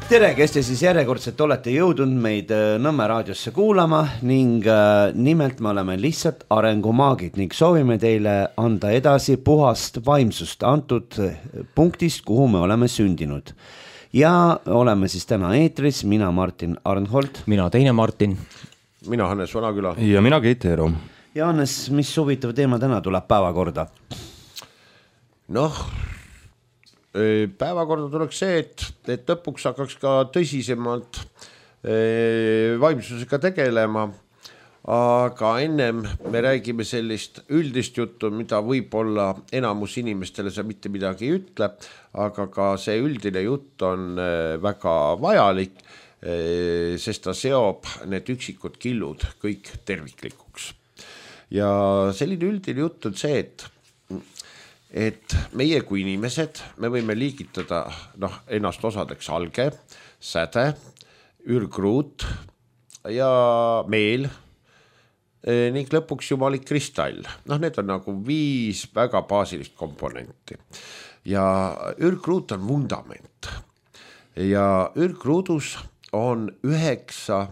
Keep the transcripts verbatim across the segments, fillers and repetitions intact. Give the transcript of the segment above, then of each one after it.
tere, kes te siis järjekordselt olete jõudnud meid Nõmme raadiosse kuulama ning nimelt me oleme lihtsalt arengumaagid ning soovime teile anda edasi puhast vaimsust antud punktist, kuhu me oleme sündinud. Ja oleme siis täna eetris, mina Martin Arnholt. Mina teine Martin. Mina Hannes Vanaküla. Ja mina Keit Eero. Ja Hannes, mis huvitav teema täna tuleb päevakorda? Noh, päevakorda tuleks see, et, et lõpuks hakkaks ka tõsisemalt vaimsusega tegelema, aga ennem me räägime sellist üldist juttu, mida võib-olla enamus inimestele see mitte midagi ei ütle, aga ka see üldine jutt on väga vajalik, sest ta seob need üksikud killud kõik terviklikuks. Ja selline üldine jutt on see, et et meie kui inimesed, me võime liigitada noh, ennast osadeks alge, säde, ürgruut ja meel ning lõpuks jumalik kristall. Noh, need on nagu viis väga baasilist komponenti. Ja ürgruut on vundament. Ja ürgruudus on üheksa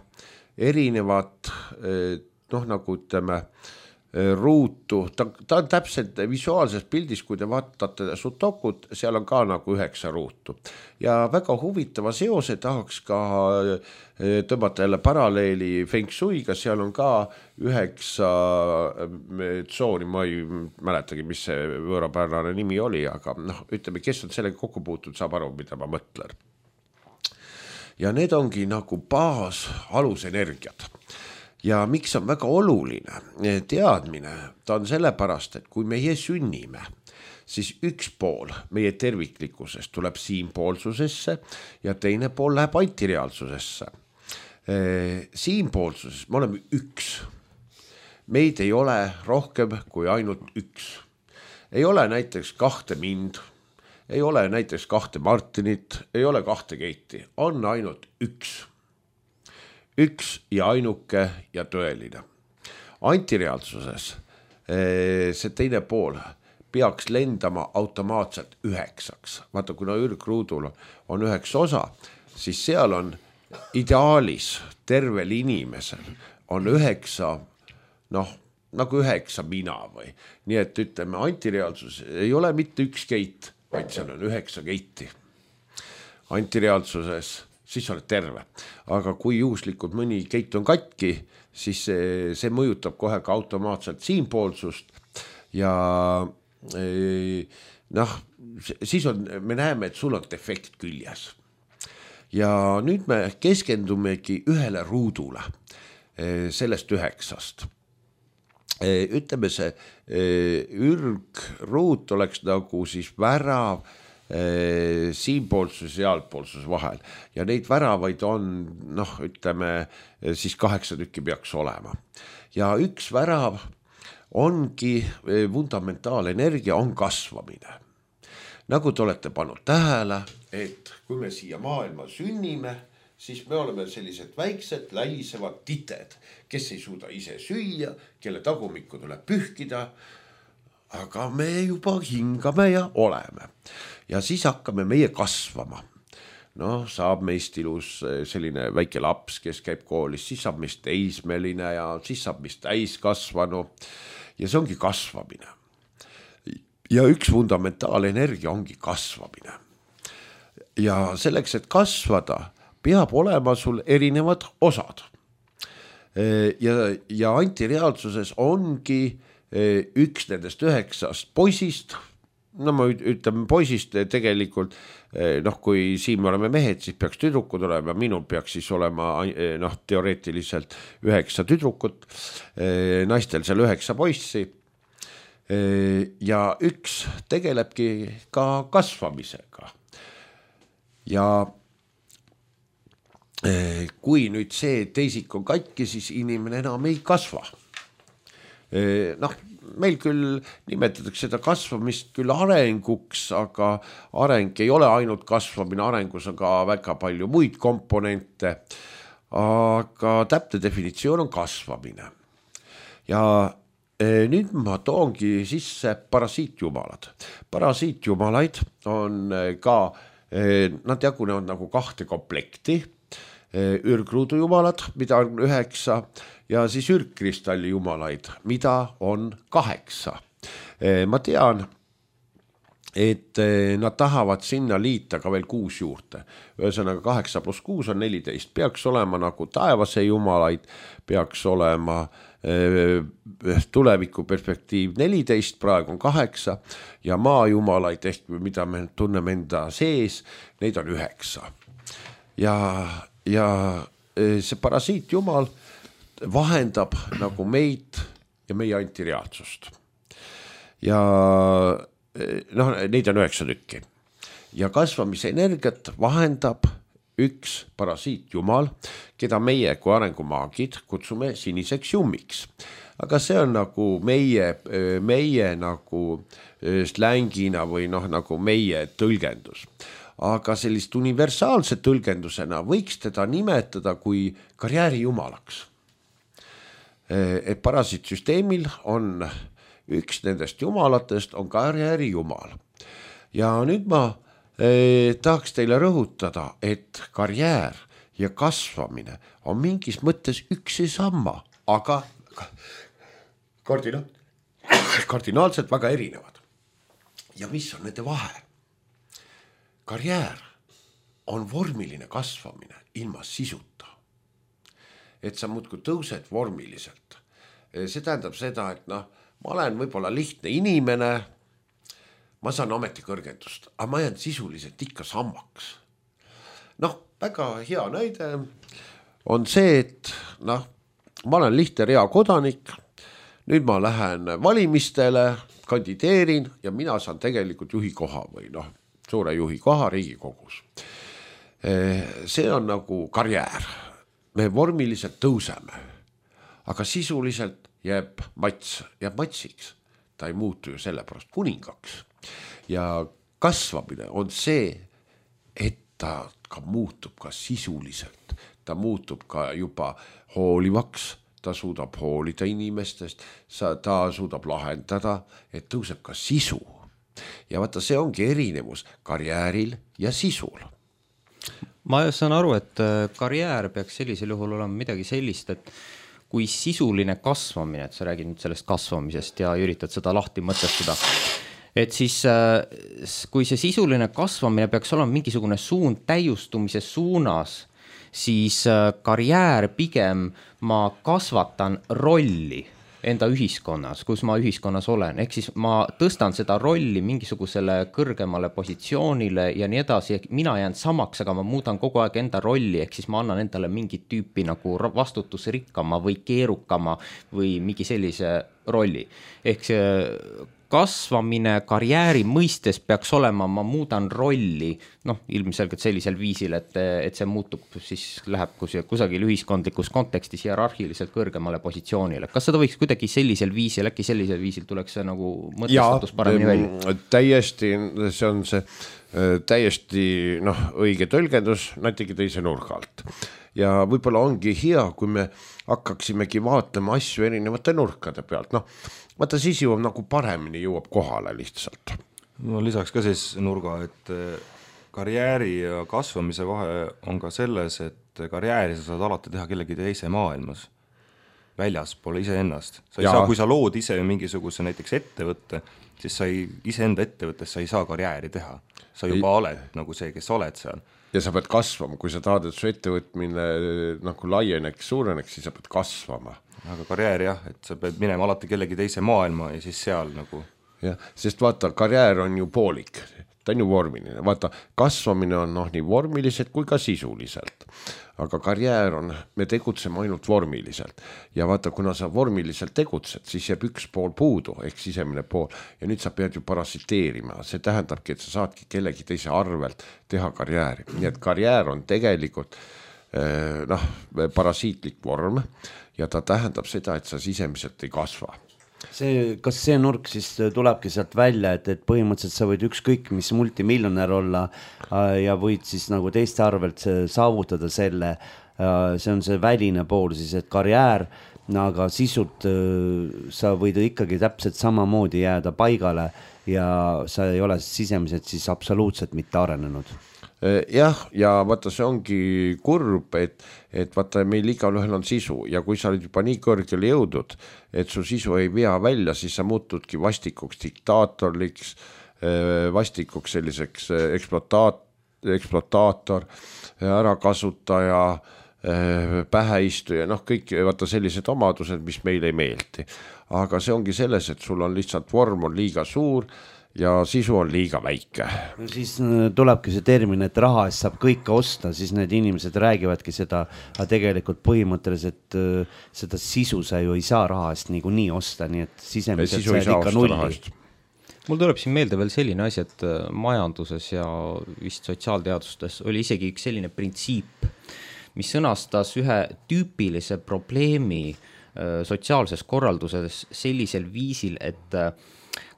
erinevat, noh nagu ütleme, ruutu, ta, ta on täpselt visuaalses pildis, kui te vaatate sutokut, seal on ka nagu üheksa ruutu. Ja väga huvitava seose tahaks ka tõmmata jälle paralleeli Feng Shuiga, seal on ka üheksa tsooni, ma ei mäletagi, mis see võõrapärane nimi oli, aga noh, ütleme, kes on sellega kokku puutud, saab aru, mida ma mõtlen. Ja need ongi nagu baas alusenergiad. Ja miks on väga oluline teadmine, ta on sellepärast, et kui meie sünnime, siis üks pool meie terviklikkusest tuleb siinpoolsusesse ja teine pool läheb antireaalsusesse. Siinpoolsuses me oleme üks. Meid ei ole rohkem kui ainult üks. Ei ole näiteks kahte mind, ei ole näiteks kahte Martinit, ei ole kahte Keiti, on ainult üks. Üks ja ainuke ja tõeline. Antireaalsuses see teine pool peaks lendama automaatselt üheksaks. Vaata, kuna ürgruudul on üheksa osa, siis seal on ideaalis tervel inimesel on üheksa, noh, nagu üheksa mina või. Nii et ütleme, antireaalsus ei ole mitte üks Keit, vaid seal on üheksa Keiti. Antireaalsuses siis oled terve. Aga kui juhuslikult mõni Keit on katki, siis see, see mõjutab kohe ka automaatselt siinpoolsust ja noh, siis on, me näeme, et sul on defekt küljes. Ja nüüd me keskendumegi ühele ruudule sellest üheksast. Ütleme see ürgruut oleks nagu siis värav siinpoolsus ja sealpoolsus vahel ja neid väravaid on, noh, ütleme, siis kaheksa tükki peaks olema. Ja üks värav ongi fundamentaalenergia, on kasvamine. Nagu te olete pannud tähele, et kui me siia maailma sünnime, siis me oleme sellised väiksed läisevad tited, kes ei suuda ise süüa, kelle tagumikku tuleb pühkida, aga me juba hingame ja oleme. Ja siis hakkame meie kasvama. No, saab meist ilus selline väike laps, kes käib koolis, siis saab meist teismeline ja siis saab meist täiskasvanu. Ja see ongi kasvamine. Ja üks fundamentaalenergia ongi kasvamine. Ja selleks, et kasvada, peab olema sul erinevad osad. Ja, ja antireaalsuses ongi üks nendest üheksast poisist, no ma ütleme poisist tegelikult, noh kui siin me oleme mehed, siis peaks tüdrukud olema, minul peaks siis olema noh, teoreetiliselt üheksa tüdrukut, naistel seal üheksa poissi ja üks tegelebki ka kasvamisega. Ja kui nüüd see teisik on katki, siis inimene enam ei kasva. Noh, meil küll nimetatakse seda kasvamist küll arenguks, aga areng ei ole ainult kasvamine, arengus on ka väga palju muid komponente, aga täpne definitsioon on kasvamine. Ja nüüd ma toongi sisse parasiitjumalad. Parasiitjumalaid on ka Nad jagunevad nagu kahte komplekti, ürgruudu jumalad, mida on üheksa ja siis ürgkristalli jumalaid, mida on kaheksa. Ma tean, et nad tahavad sinna liita ka veel kuus juurde. Ühesõnaga kaheksa pluss kuus on neliteist. Peaks olema nagu taevase jumalaid, peaks olema tuleviku perspektiiv neliteist, praegu on kaheksa ja maa jumalaid ehk mida me tunneme enda sees, neid on üheksa. Ja, ja see parasiit jumal vahendab nagu meid ja meie antireaalsust. Ja noh, neid on üheksa tükki. Ja kasvamise energiat vahendab üks parasiit jumal, keda meie kui arengumaagid kutsume siniseks jummiks. Aga see on nagu meie, meie nagu slängina või noh, nagu meie tõlgendus. Aga sellist universaalse tõlgendusena võiks teda nimetada kui karjääri jumalaks. Et parasiitsüsteemil on üks nendest jumalatest on karjääri jumal. Ja nüüd ma eh, tahaks teile rõhutada, et karjäär ja kasvamine on mingis mõttes üks ja sama, aga kardina, kardinaalselt väga erinevad. Ja mis on nende vahe? Karjäär on vormiline kasvamine ilma sisuta. Et sa muudkui tõused vormiliselt. See tähendab seda, et noh, ma olen võib-olla lihtne inimene, ma saan ametikõrgendust, aga ma jään sisuliselt ikka sammaks. Noh, väga hea näide on see, et noh, ma olen lihtne rea kodanik, nüüd ma lähen valimistele, kandideerin ja mina saan tegelikult juhi koha või noh, suure juhi koha Riigikogus. See on nagu karjäär. Me vormiliselt tõuseme, aga sisuliselt jääb mats, jääb matsiks. Ta ei muutu ju sellepärast kuningaks. Ja kasvamine on see, et ta ka muutub ka sisuliselt. Ta muutub ka juba hoolivaks, ta suudab hoolida inimestest, ta suudab lahendada, et tõuseb ka sisu. Ja vaata, see ongi erinevus karjääril ja sisul. Ma saan aru, et karjäär peaks sellisel juhul olema midagi sellist, et kui sisuline kasvamine, et sa räägid nüüd sellest kasvamisest ja üritad seda lahti mõtestada, et siis kui see sisuline kasvamine peaks olema mingisugune suund täiustumise suunas, siis karjäär pigem ma kasvatan rolli enda ühiskonnas, kus ma ühiskonnas olen. Ehk siis ma tõstan seda rolli mingisugusele kõrgemale positsioonile ja nii edasi. Mina jään samaks, aga ma muudan kogu aeg enda rolli. Ehk siis ma annan endale mingit tüüpi nagu vastutusrikkama või keerukama või mingi sellise rolli. Ehk see kasvamine karjääri mõistes peaks olema, ma muudan rolli, noh, ilmselgelt sellisel viisil, et, et see muutub, siis läheb kusagil ühiskondlikus kontekstis hierarhiliselt kõrgemale positsioonile. Kas seda võiks kuidagi sellisel viisil, äkki sellisel viisil tuleks see nagu mõtestatus paremini välja? Täiesti, see on see täiesti noh, õige tõlgendus, natuke teise nurga alt. Ja võib-olla ongi hea, kui me hakkaksimegi vaatama asju erinevate nurkade pealt. Noh, vaata siis jõuab nagu paremini jõuab kohale lihtsalt. No lisaks ka siis nurga, et karjääri ja kasvamise vahe on ka selles, et karjääri sa saad alati teha kellegi teise maailmas, väljas pole ise ennast. Sa ei ja. saa, kui sa lood ise mingisuguse näiteks ettevõtte, siis sa ei, ise enda ettevõttes sa ei saa karjääri teha. Sa juba ei. oled nagu see, kes oled seal. Ja sa pead kasvama, kui sa tahad, et su ettevõtmine nagu laieneks, suureneks, siis sa pead kasvama. Aga karjäär jah, et sa pead minema alati kellegi teise maailma ja siis seal nagu. Ja, sest vaata, karjäär on ju poolik, ta on ju vormiline. Vaata, kasvamine on noh, nii vormiliselt kui ka sisuliselt. Aga karjäär on, me tegutseme ainult vormiliselt. Ja vaata, kuna sa vormiliselt tegutsed, siis jääb üks pool puudu, ehk sisemine pool. Ja nüüd sa pead ju parasiteerima. See tähendabki, et sa saadki kellegi teise arvelt teha karjääri. Nii et karjäär on tegelikult eh, noh, parasiitlik vorm ja ta tähendab seda, et sa sisemiselt ei kasva. See, kas see nurk siis tulebki sealt välja, et, et põhimõtteliselt sa võid ükskõik mis multimiljonär olla ja võid siis nagu teiste arvelt saavutada selle, see on see väline pool siis, et karjäär, aga sisult sa võid ikkagi täpselt samamoodi jääda paigale ja sa ei ole sisemiselt siis absoluutselt mitte arenenud. jah, ja vaata, see ongi kurb, et, et vaata, meil igal ühel on sisu ja kui sa oled juba nii kõrgele jõudnud, et su sisu ei vea välja, siis sa muutudki vastikuks diktaatorliks, vastikuks selliseks eksplotaat, eksplootaator, ärakasutaja, päheistuja, noh kõik vaata sellised omadused, mis meile ei meeldi. Aga see ongi selles, et sul on lihtsalt vorm on liiga suur ja sisu on liiga väike. No siis tulebki see termin, et raha eest saab kõike osta, siis need inimesed räägivadki seda, aga tegelikult põhimõtteliselt seda sisu sa ju ei saa raha eest nii kui nii osta, nii et sisemiselt sa ikka nulli. Mul tuleb siin meelde veel selline asi, et majanduses ja vist sotsiaalteadustes oli isegi üks selline printsiip, mis sõnastas ühe tüüpilise probleemi sotsiaalses korralduses sellisel viisil, et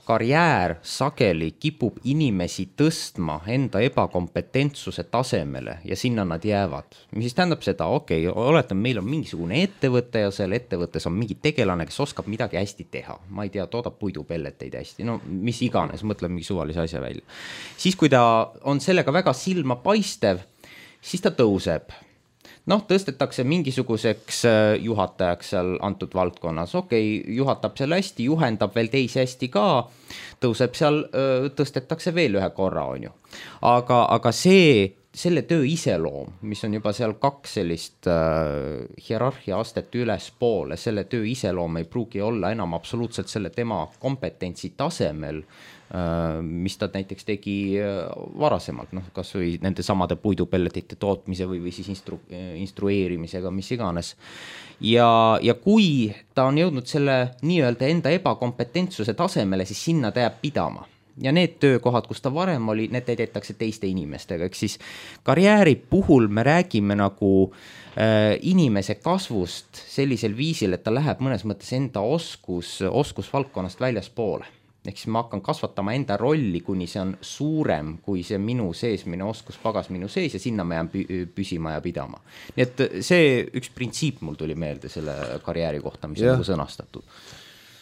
karjäär sageli kipub inimesi tõstma enda ebakompetentsuse tasemele ja sinna nad jäävad. Mis siis tähendab seda, okei, okay, oletame, meil on mingisugune ettevõte ja seal ettevõttes on mingi tegelane, kes oskab midagi hästi teha. Ma ei tea, toodab puidupelleteid hästi, no mis iganes, mõtleb mingi suvalise asja välja. Siis kui ta on sellega väga silma paistev, siis ta tõuseb. Noh, tõstetakse mingisuguseks juhatajaks seal antud valdkonnas. Okei, juhatab seal hästi, juhendab veel teisi hästi ka, tõuseb seal, tõstetakse veel ühe korra, on ju. Aga, aga see, selle töö iseloom, mis on juba seal kaks sellist äh, hierarhia astet üles poole, selle töö iseloom ei pruugi olla enam absoluutselt selle tema kompetentsi tasemel, mis ta näiteks tegi varasemalt, noh, kas või nende samade puidupelletite tootmise või, või siis instru, instrueerimisega, mis iganes. Ja, ja kui ta on jõudnud selle nii-öelda enda ebakompetentsuse tasemele, siis sinna ta jääb pidama. Ja need töökohad, kus ta varem oli, need täidetakse teiste inimestega. Eks siis karjääri puhul me räägime nagu äh, inimese kasvust sellisel viisil, et ta läheb mõnes mõttes enda oskus, oskusvaldkonnast väljaspoole. Ehk siis ma hakkan kasvatama enda rolli, kuni see on suurem, kui see minu sees, minu oskus pagas minu sees ja sinna ma jään püsima ja pidama. Nii et see üks printsiip mul tuli meelde selle karjääri kohta, mis ja. On sõnastatud.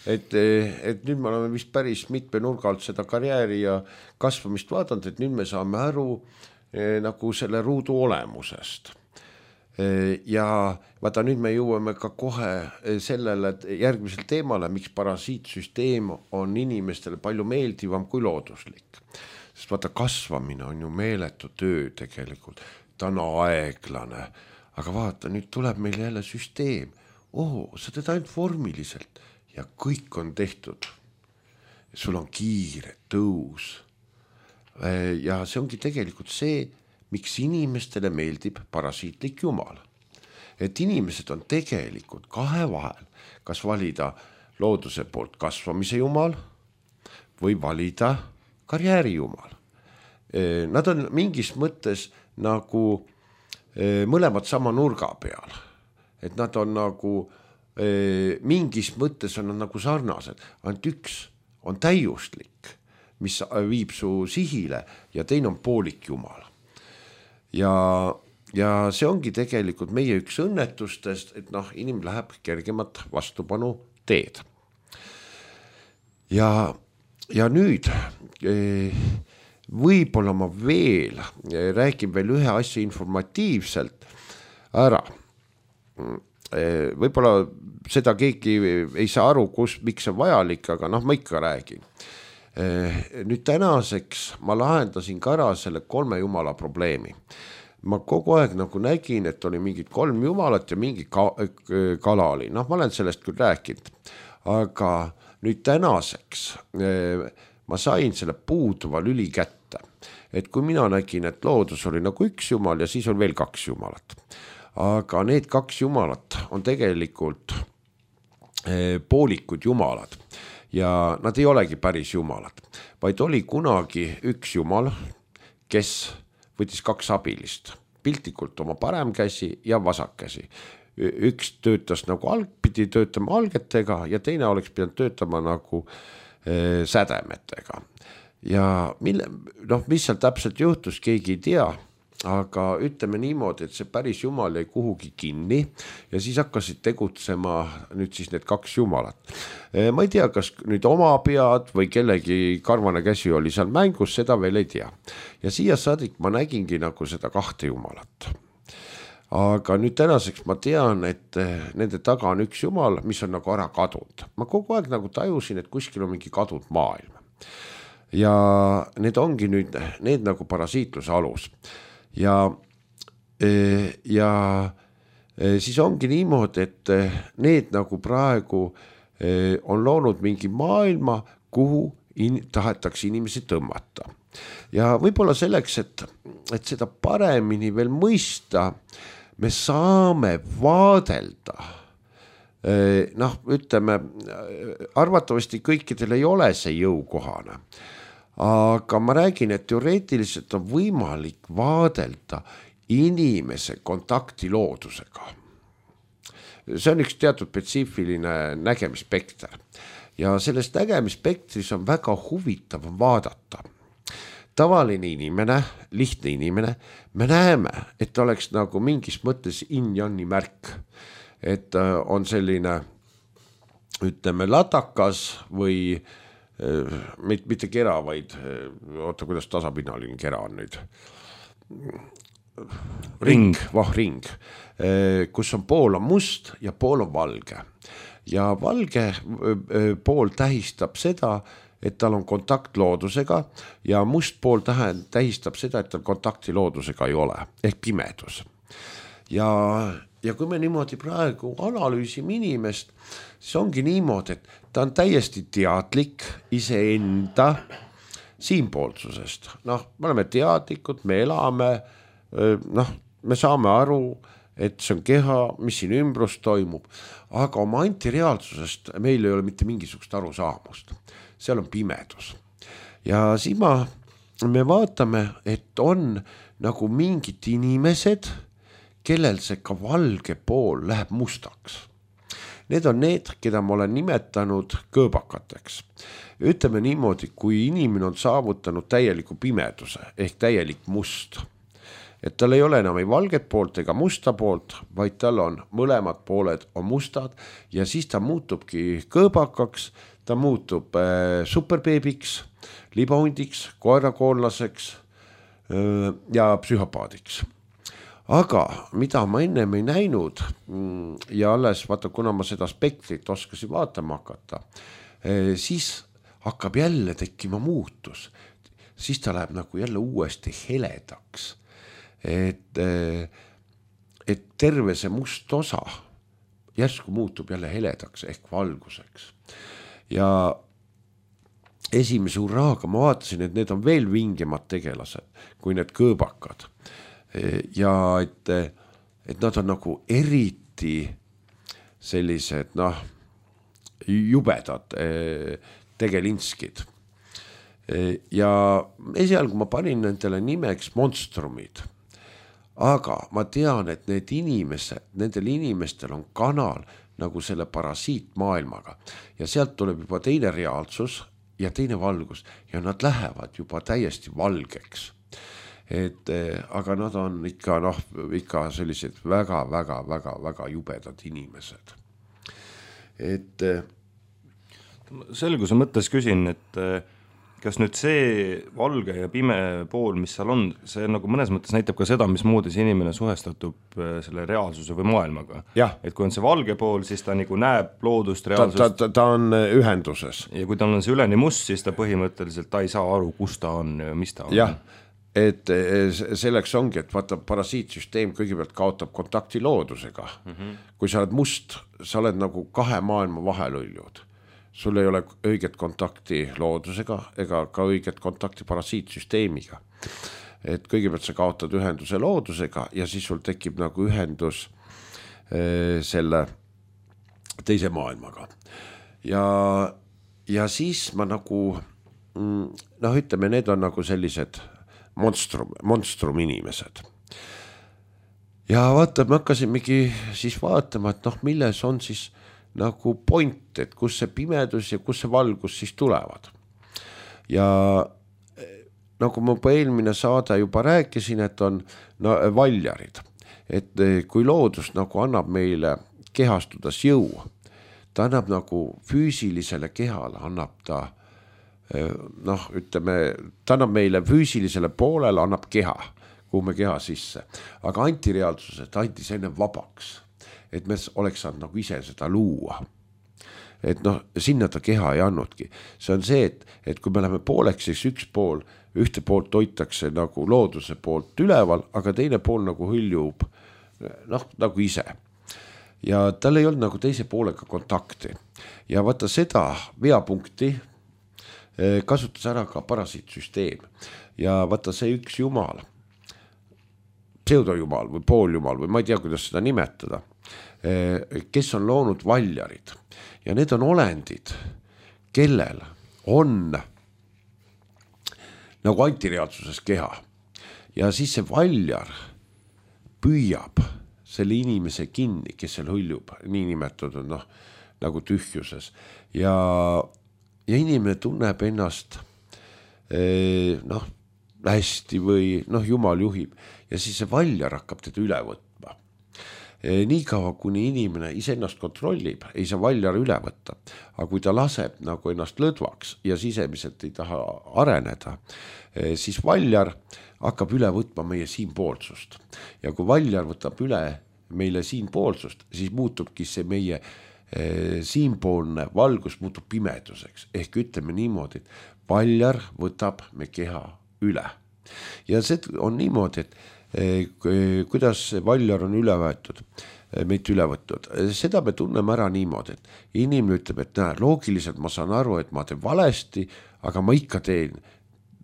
Et, et nüüd me oleme vist päris mitme nurga alt seda karjääri ja kasvamist vaadanud, et nüüd me saame aru eh, nagu selle ruudu olemusest. Ja vaata, nüüd me jõuame ka kohe sellele järgmisel teemale, miks parasiitsüsteem on inimestele palju meeldivam kui looduslik. Sest vaata, kasvamine on ju meeletu töö tegelikult, ta on aeglane, aga vaata, nüüd tuleb meil jälle süsteem. Oh, sa teed ainult vormiliselt ja kõik on tehtud. Sul on kiire tõus. Ja see ongi tegelikult see, miks inimestele meeldib parasiitlik jumal. Et inimesed on tegelikult kahe vahel, kas valida looduse poolt kasvamise jumal või valida karjääri jumal. Nad on mingis mõttes nagu mõlemad sama nurga peal. Et nad on nagu, mingis mõttes on nad nagu sarnased. Ainult üks on täiuslik, mis viib su sihile ja teine on poolik jumal. Ja, ja see ongi tegelikult meie üks õnnetustest, et noh, inim läheb kergemat vastupanu teed. Ja, ja nüüd võib-olla ma veel räägin veel ühe asja informatiivselt ära. Võib-olla seda keegi ei saa aru, kus, miks see vajalik, aga noh, ma ikka räägin. Nüüd tänaseks ma lahendasin ka ära selle kolme jumala probleemi. Ma kogu aeg nagu nägin, et oli mingid kolm jumalat ja mingi ka, kala oli. Noh, ma olen sellest küll rääkinud. Aga nüüd tänaseks ma sain selle puuduva lüli kätte. Et kui mina nägin, et loodus oli nagu üks jumal ja siis on veel kaks jumalat. Aga need kaks jumalat on tegelikult poolikud jumalad. Ja nad ei olegi päris jumalad, vaid oli kunagi üks jumal, kes võttis kaks abilist, piltlikult oma parem käsi ja vasak käsi. Üks töötas nagu alg, pidi töötama algetega ja teine oleks pidanud töötama nagu äh, sädemetega. Ja mille, noh, mis seal täpselt juhtus, keegi ei tea, aga ütleme niimoodi, et see päris jumal jäi kuhugi kinni ja siis hakkasid tegutsema nüüd siis need kaks jumalat. Ma ei tea, kas nüüd oma pead või kellegi karvane käsi oli seal mängus, seda veel ei tea. Ja siia saadik ma nägingi nagu seda kahte jumalat. Aga nüüd tänaseks ma tean, et nende taga on üks jumal, mis on nagu ära kadunud. Ma kogu aeg nagu tajusin, et kuskil on mingi kadunud maailm. Ja need ongi nüüd need nagu parasiitluse alus. Ja, ja siis ongi niimoodi, et need nagu praegu on loonud mingi maailma, kuhu in, tahetakse inimesi tõmmata. Ja võib-olla selleks, et, et seda paremini veel mõista, me saame vaadelda, noh, ütleme, arvatavasti kõikidel ei ole see jõukohane, aga ma räägin, et teoreetiliselt on võimalik vaadelda inimese kontakti loodusega. See on üks teatud spetsiifiline nägemispekter ja sellest nägemispektris on väga huvitav vaadata. Tavaline inimene, lihtne inimene, me näeme, et oleks nagu mingis mõttes yin-yangi märk, et on selline, ütleme, latakas või mitte kera, vaid oota, kuidas tasapinnaline kera on nüüd. Ring, vah ring, kus on pool on must ja pool on valge. Ja valge pool tähistab seda, et tal on kontakt loodusega ja must pool tähistab seda, et tal kontakti loodusega ei ole, ehk pimedus. Ja, ja kui me niimoodi praegu analüüsime inimest, siis ongi niimoodi, et ta on täiesti teadlik iseenda siinpoolsusest. Noh, me oleme teadlikud, me elame, noh, me saame aru, et see on keha, mis siin ümbrus toimub, aga oma antireaalsusest meil ei ole mitte mingisugust arusaamust. Seal on pimedus. Ja siis ma, me vaatame, et on nagu mingid inimesed, kellel see ka valge pool läheb mustaks. Need on need, keda ma olen nimetanud kõõbakateks. Ütleme niimoodi, kui inimene on saavutanud täieliku pimeduse ehk täielik must, et tal ei ole enam ei valget poolt ega musta poolt, vaid tal on mõlemad pooled on mustad ja siis ta muutubki kõõbakaks, ta muutub äh, superbeebiks, libahundiks, koerakoonlaseks äh, ja psühhopaadiks. Aga mida ma ennem ei näinud ja alles vaata, kuna ma seda spektrit oskasin vaatama hakata, äh, siis hakkab jälle tekkima muutus. Siis ta läheb nagu jälle uuesti heledaks. Et, et terve see must osa järsku muutub jälle heledaks ehk valguseks. Ja esimese hurraaga ma vaatasin, et need on veel vingemad tegelased kui need kõõbakad. Ja et, et nad on nagu eriti sellised, noh, jubedad tegelinskid. Ja esialgu ma panin nendele nimeks monstrumid. Aga ma tean, et need inimesed, nendel inimestel on kanal nagu selle parasiitmaailmaga ja sealt tuleb juba teine reaalsus ja teine valgus ja nad lähevad juba täiesti valgeks. Et, aga nad on ikka, noh, ikka sellised väga, väga, väga, väga jubedad inimesed. Et selguse mõttes küsin, et kas nüüd see valge ja pime pool, mis seal on, see nagu mõnes mõttes näitab ka seda, mismoodi see inimene suhestatub selle reaalsuse või maailmaga. Et kui on see valge pool, siis ta nagu näeb loodust, reaalsust. Ta, ta, ta on ühenduses. Ja kui ta on see üleni must, siis ta põhimõtteliselt ta ei saa aru, kus ta on ja mis ta on. Jah, et selleks ongi, et vaata, parasiitsüsteem kõigepealt kaotab kontakti loodusega. Mm-hmm. Kui sa oled must, sa oled nagu kahe maailma vahelõljud. Sul ei ole õiget kontakti loodusega ega ka õiget kontakti parasiitsüsteemiga. Et kõigepealt sa kaotad ühenduse loodusega ja siis sul tekib nagu ühendus e, selle teise maailmaga. Ja, ja siis ma nagu, noh, ütleme, need on nagu sellised monstrum, monstrum inimesed. Ja vaata, me hakkasimegi siis vaatama, et noh, milles on siis nagu point, et kus see pimedus ja kus see valgus siis tulevad. Ja nagu ma juba eelmine saade juba rääkisin, et on no, valjarid, et kui loodus nagu annab meile kehastudes jõu, ta annab nagu füüsilisele kehale, annab ta noh, ütleme, ta annab meile füüsilisele poolele, annab keha, kuhu me keha sisse, aga antireaalsuses ta andis enne vabaks, et me oleks saanud nagu ise seda luua. Et noh, sinna ta keha ei annudki. See on see, et, et kui me läheme pooleks, siis üks pool, ühte poolt hoitakse nagu looduse poolt üleval, aga teine pool nagu hõljub noh, nagu ise. Ja tal ei olnud nagu teise poolega kontakti. Ja vaata seda veapunkti kasutas ära ka parasiitsüsteem. Ja vaata see üks jumal, pseudojumal või pooljumal või ma ei tea, kuidas seda nimetada, kes on loonud valjarid. Ja need on olendid, kellel on nagu antireaalsuses keha. Ja siis see valjar püüab selle inimese kinni, kes seal hõljub, nii nimetatud noh, nagu tühjuses. Ja, ja inimene tunneb ennast eh, noh, hästi või noh, jumal juhib. Ja siis see valjar hakkab teda üle võtma. Nii kaua, kuni inimene iseennast kontrollib, ei saa valjar üle võtta. Aga kui ta laseb nagu ennast lõdvaks ja sisemiselt ei taha areneda, siis valjar hakkab üle võtma meie siinpoolsust. Ja kui valjar võtab üle meile siinpoolsust, siis muutubki see meie siinpoolne valgus muutub pimeduseks. Ehk ütleme niimoodi, et valjar võtab me keha üle. Ja see on niimoodi, et kuidas valjar on üle võetud, meid üle võtnud. Seda me tunneme ära niimoodi, et inimene ütleb, et näe, loogiliselt ma saan aru, et ma teen valesti, aga ma ikka teen,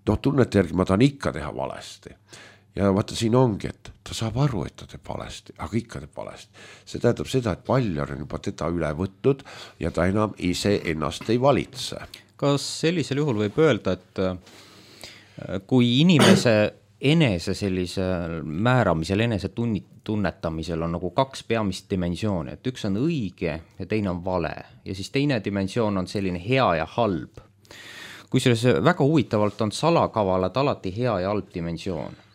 noh tunnete järgi ma tahan ikka teha valesti. Ja vaata siin ongi, et ta saab aru, et ta teeb valesti, aga ikka teeb valesti. See tähendab seda, et valjar on juba teda üle võtnud ja ta enam ise ennast ei valitse. Kas sellisel juhul võib öelda, et kui inimese enese sellisel määramisel, enese tunnetamisel on nagu kaks peamist dimensiooni, et üks on õige ja teine on vale. Ja siis teine dimensioon on selline hea ja halb. Kusjuures väga huvitavalt on salakavalad alati hea ja halb dimensioon.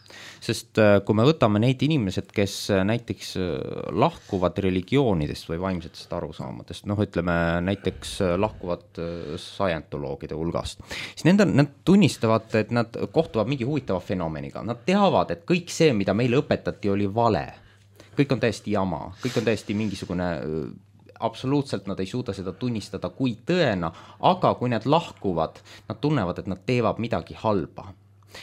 Sest kui me võtame neid inimesed, kes näiteks lahkuvad religioonidest või vaimsetest arusaamadest, noh ütleme näiteks lahkuvad scientoloogide hulgast, siis nende, nad tunnistavad, et nad kohtuvad mingi huvitava fenomeniga. Nad teavad, et kõik see, mida meile õpetati, oli vale. Kõik on täiesti jama, kõik on täiesti mingisugune, absoluutselt nad ei suuda seda tunnistada kui tõena, aga kui nad lahkuvad, nad tunnevad, et nad teevad midagi halba.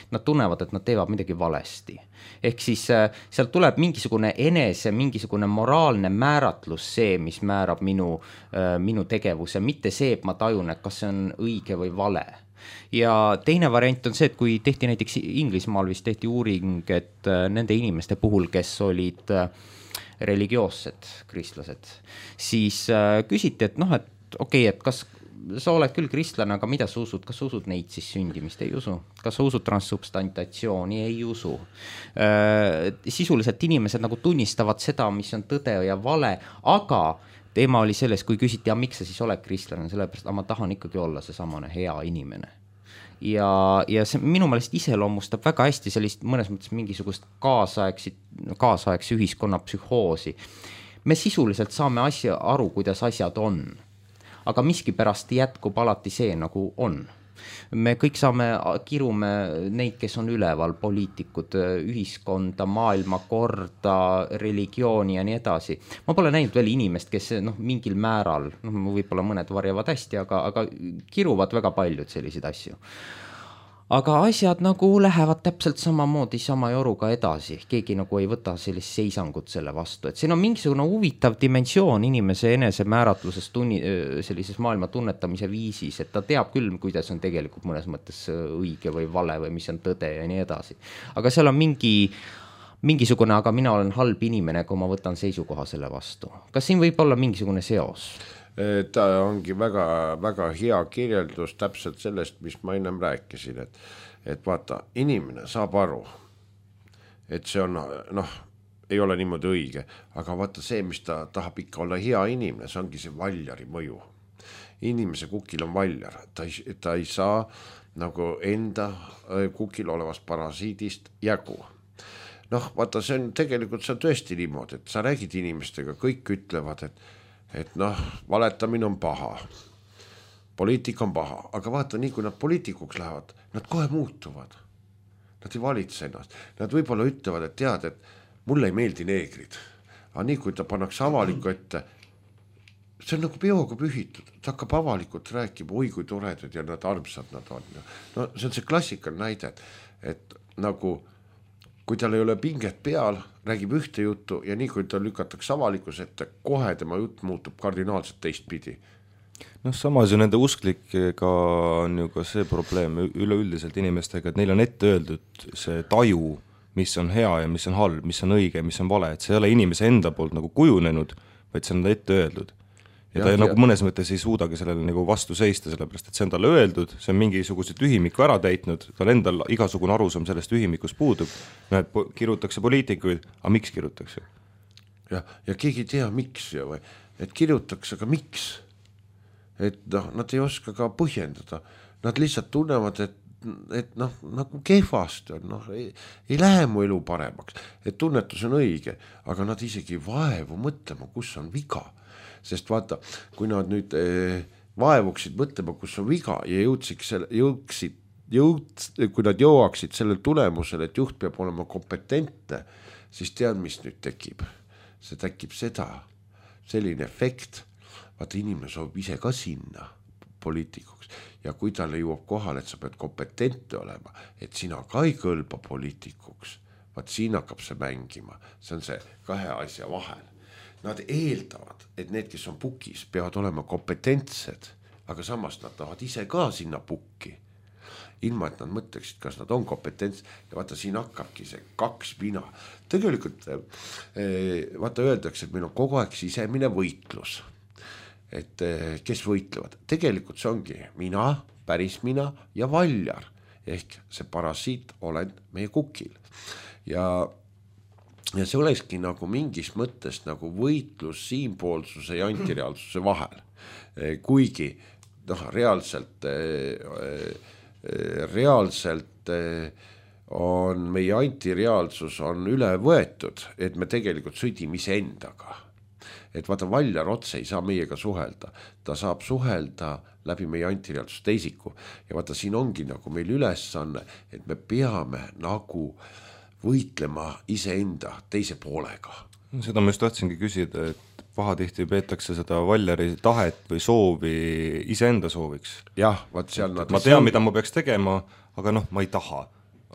Nad tunnevad, et nad teevad midagi valesti. Ehk siis sealt tuleb mingisugune enese, mingisugune moraalne määratlus see, mis määrab minu, minu tegevuse, mitte see, et ma tajun, et kas see on õige või vale. Ja teine variant on see, et kui tehti näiteks Inglismaal vist tehti uuring, et nende inimeste puhul, kes olid religioossed kristlased, siis küsiti, et noh, et okei, et kas sa oled küll kristlane, aga mida sa usud? Kas sa usud neid siis sündimist? Ei usu. Kas sa usud transsubstantatsiooni? Ei usu. Sisuliselt inimesed nagu tunnistavad seda, mis on tõde ja vale, aga teema oli selles, kui küsiti, ja miks sa siis oled kristlane, sellepärast, aga ma tahan ikkagi olla see samane hea inimene. Ja, ja see minu meelest iseloomustab väga hästi sellist mõnes mõttes mingisugust kaasaegsi, kaasaegsi ühiskonna psühhoosi. Me sisuliselt saame asja aru, kuidas asjad on. Aga miski pärast jätkub alati see, nagu on. Me kõik saame, kirume neid, kes on üleval, poliitikud, ühiskonda, maailma korda, religiooni ja nii edasi. Ma pole näinud veel inimest, kes noh, mingil määral, noh, võib-olla mõned varjavad hästi, aga, aga kiruvad väga paljud selliseid asju. Aga asjad nagu lähevad täpselt samamoodi sama joruga edasi. Keegi nagu ei võta sellist seisangut selle vastu. Et siin on mingisugune huvitav dimensioon inimese enese määratluses tunni, sellises maailma tunnetamise viisis, et ta teab küll, kuidas on tegelikult mõnes mõttes õige või vale või mis on tõde ja nii edasi. Aga seal on mingi, mingisugune, aga mina olen halb inimene, kui ma võtan seisukoha selle vastu. Kas siin võib olla mingisugune seos? Ta ongi väga, väga hea kirjeldus täpselt sellest, mis ma ennem rääkisin, et, et vaata, inimene saab aru, et see on, noh, ei ole niimoodi õige, aga vaata see, mis ta tahab ikka olla hea inimene, see ongi see valjari mõju. inimese kukil on valjar, ta ei, ta ei saa nagu enda kukil olevast parasiidist jagu. Noh, vaata, see on tegelikult, see on tõesti niimoodi, et sa räägid inimestega, kõik ütlevad, et, et noh, valetamine on paha, poliitika on paha, aga vaata, nii kui nad poliitikuks lähevad, nad kohe muutuvad. Nad ei valitse ennast. Nad võib-olla ütlevad, et tead, et mulle ei meeldi neegrid. Aga nii kui ta pannakse avaliku ette, see on nagu peoga pühitud, ta hakkab avalikult rääkima, oi kui toredad ja nad armsad nad on. No see on see klassikal näide, et nagu kui tal ei ole pinget peal, räägib ühte juttu ja nii kui ta lükatakse avalikus ette, kohe tema jutt muutub kardinaalselt teistpidi. Noh, samas ju nende usklikega on ju ka see probleem üleüldiselt inimestega, et neil on ette öeldud see taju, mis on hea ja mis on halb, mis on õige, mis on vale, et see ei ole inimese enda poolt nagu kujunenud, vaid see on ette öeldud. Ja ta ja, nagu mõnes mõttes ei suudagi sellele nagu vastu seista, sellepärast et see on talle öeldud, see on mingisuguse tühimiku ära täitnud, tal endal igasugune arusaam sellest tühimikus puudub, näed, kirjutakse poliitikuid, aga miks kirjutakse? Ja, ja keegi ei tea miks, ja, või, et kirjutakse, aga miks? Et noh, nad ei oska ka põhjendada, nad lihtsalt tunnevad, et, et noh, nagu kehvasti on, noh, ei, ei lähe mu elu paremaks, et tunnetus on õige, aga nad isegi vaevu mõtlema, kus on viga. Sest vaata, kui nad nüüd eh, vaevuksid mõtlema, kus on viga ja jõudsid, jõudsid, jõud, kui nad jõuaksid selle tulemusele, et juht peab olema kompetentne, siis tead, mis nüüd tekib. See tekib seda, selline efekt, vaata inimene soovib ise ka sinna poliitikuks ja kui talle jõuab kohale, et sa pead kompetentne olema, et sina ka ei kõlba poliitikuks, vaat siin hakkab see mängima, see on see kahe asja vahel. Nad eeldavad, et need, kes on pukis, peavad olema kompetentsed, aga samas nad tahavad ise ka sinna pukki, ilma et nad mõtleksid, kas nad on kompetentsed ja vaata, siin hakkabki see kaks mina. Tegelikult vaata öeldakse, et meil on kogu aeg sisemine võitlus, et kes võitlevad. Tegelikult see ongi mina, päris mina ja valjar, ehk see parasiit olen meie kukil ja Ja see olekski nagu mingis mõttes nagu võitlus siinpoolsuse ja antireaalsuse vahel. Kuigi noh, reaalselt, reaalselt on meie antireaalsus on üle võetud, et me tegelikult sõdime ise endaga. Et vaata, valjar otse ei saa meiega suhelda. Ta saab suhelda läbi meie antireaalsus teisiku. Ja vaata, siin ongi nagu meil ülesanne, et me peame nagu võitlema iseenda teise poolega. Seda ma just tahtsingi küsida, et pahatihti peetakse seda valjari tahet või soovi iseenda sooviks. Jah, vaat seal nad... Ma tean, mida ma peaks tegema, aga noh, ma ei taha.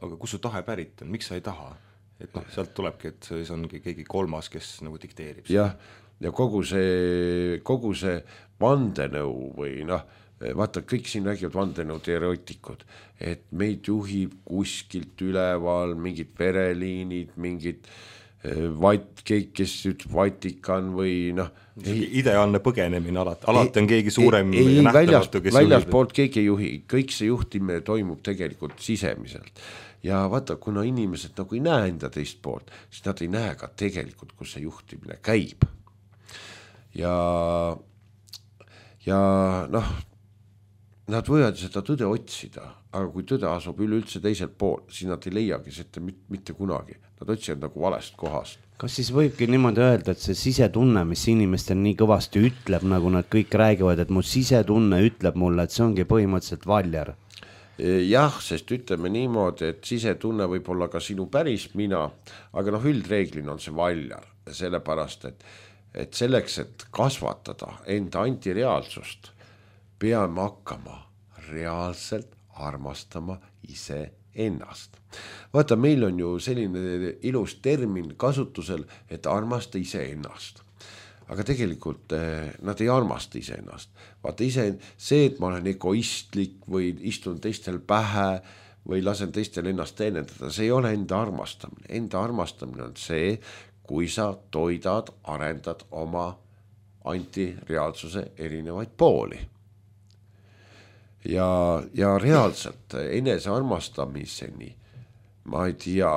Aga kus su tahe pärit on? Miks sa ei taha? Et noh, sealt tulebki, et see ongi keegi kolmas, kes nagu dikteerib. Jah, ja kogu see, kogu see vandenõu või noh, vaata, kõik siin räägivad vandenõu teoreetikud, et meid juhib kuskilt üleval mingid vereliinid, mingid vat, keegi, kes ütleb Vatikan või noh. Ideaalne põgenemine alati, alati on keegi suurem ei, ei, nähtamatu, kes väljas poolt keegi ei juhi, kõik see juhtimine toimub tegelikult sisemiselt. Ja vaata, kuna inimesed nagu ei näe enda teist poolt, siis nad ei näe ka tegelikult, kus see juhtimine käib. Ja, ja noh, nad võivad seda tõde otsida, aga kui tõde asub üleüldse teiselt pool, siis nad ei leiagi seda mitte kunagi. Nad otsivad nagu valest kohast. Kas siis võibki niimoodi öelda, et see sisetunne, mis inimestel nii kõvasti ütleb, nagu nad kõik räägivad, et mu sisetunne ütleb mulle, et see ongi põhimõtteliselt valjar? Jah, sest ütleme niimoodi, et sisetunne võib olla ka sinu päris mina, aga noh, üldreeglina on see valjar, sellepärast, et, et selleks, et kasvatada enda antireaalsust, peame hakkama reaalselt armastama ise ennast. Vaata, meil on ju selline ilus termin kasutusel, et armasta ise ennast. Aga tegelikult eh, nad ei armasta ise ennast. Vaata ise see, et ma olen egoistlik või istun teistel pähe või lasen teistel ennast teenendada, see ei ole enda armastamine. Enda armastamine on see, kui sa toidad, arendad oma antireaalsuse erinevaid pooli. Ja, ja reaalselt enese armastamiseni ma ei tea,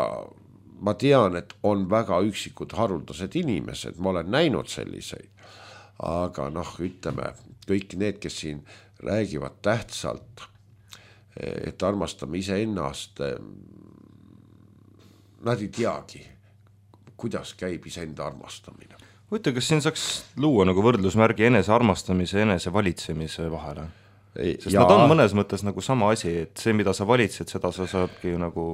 ma tean, et on väga üksikud haruldased inimesed, ma olen näinud selliseid, aga noh, ütleme kõik need, kes siin räägivad tähtsalt, et armastame iseennast, nad ei teagi, kuidas käib iseenda armastamine. Võtta, kas siin saaks luua nagu võrdlusmärgi enese armastamise ja enese valitsemise vahele? Sest ja... nad on mõnes mõttes nagu sama asi, et see, mida sa valitsed, seda sa saabki nagu...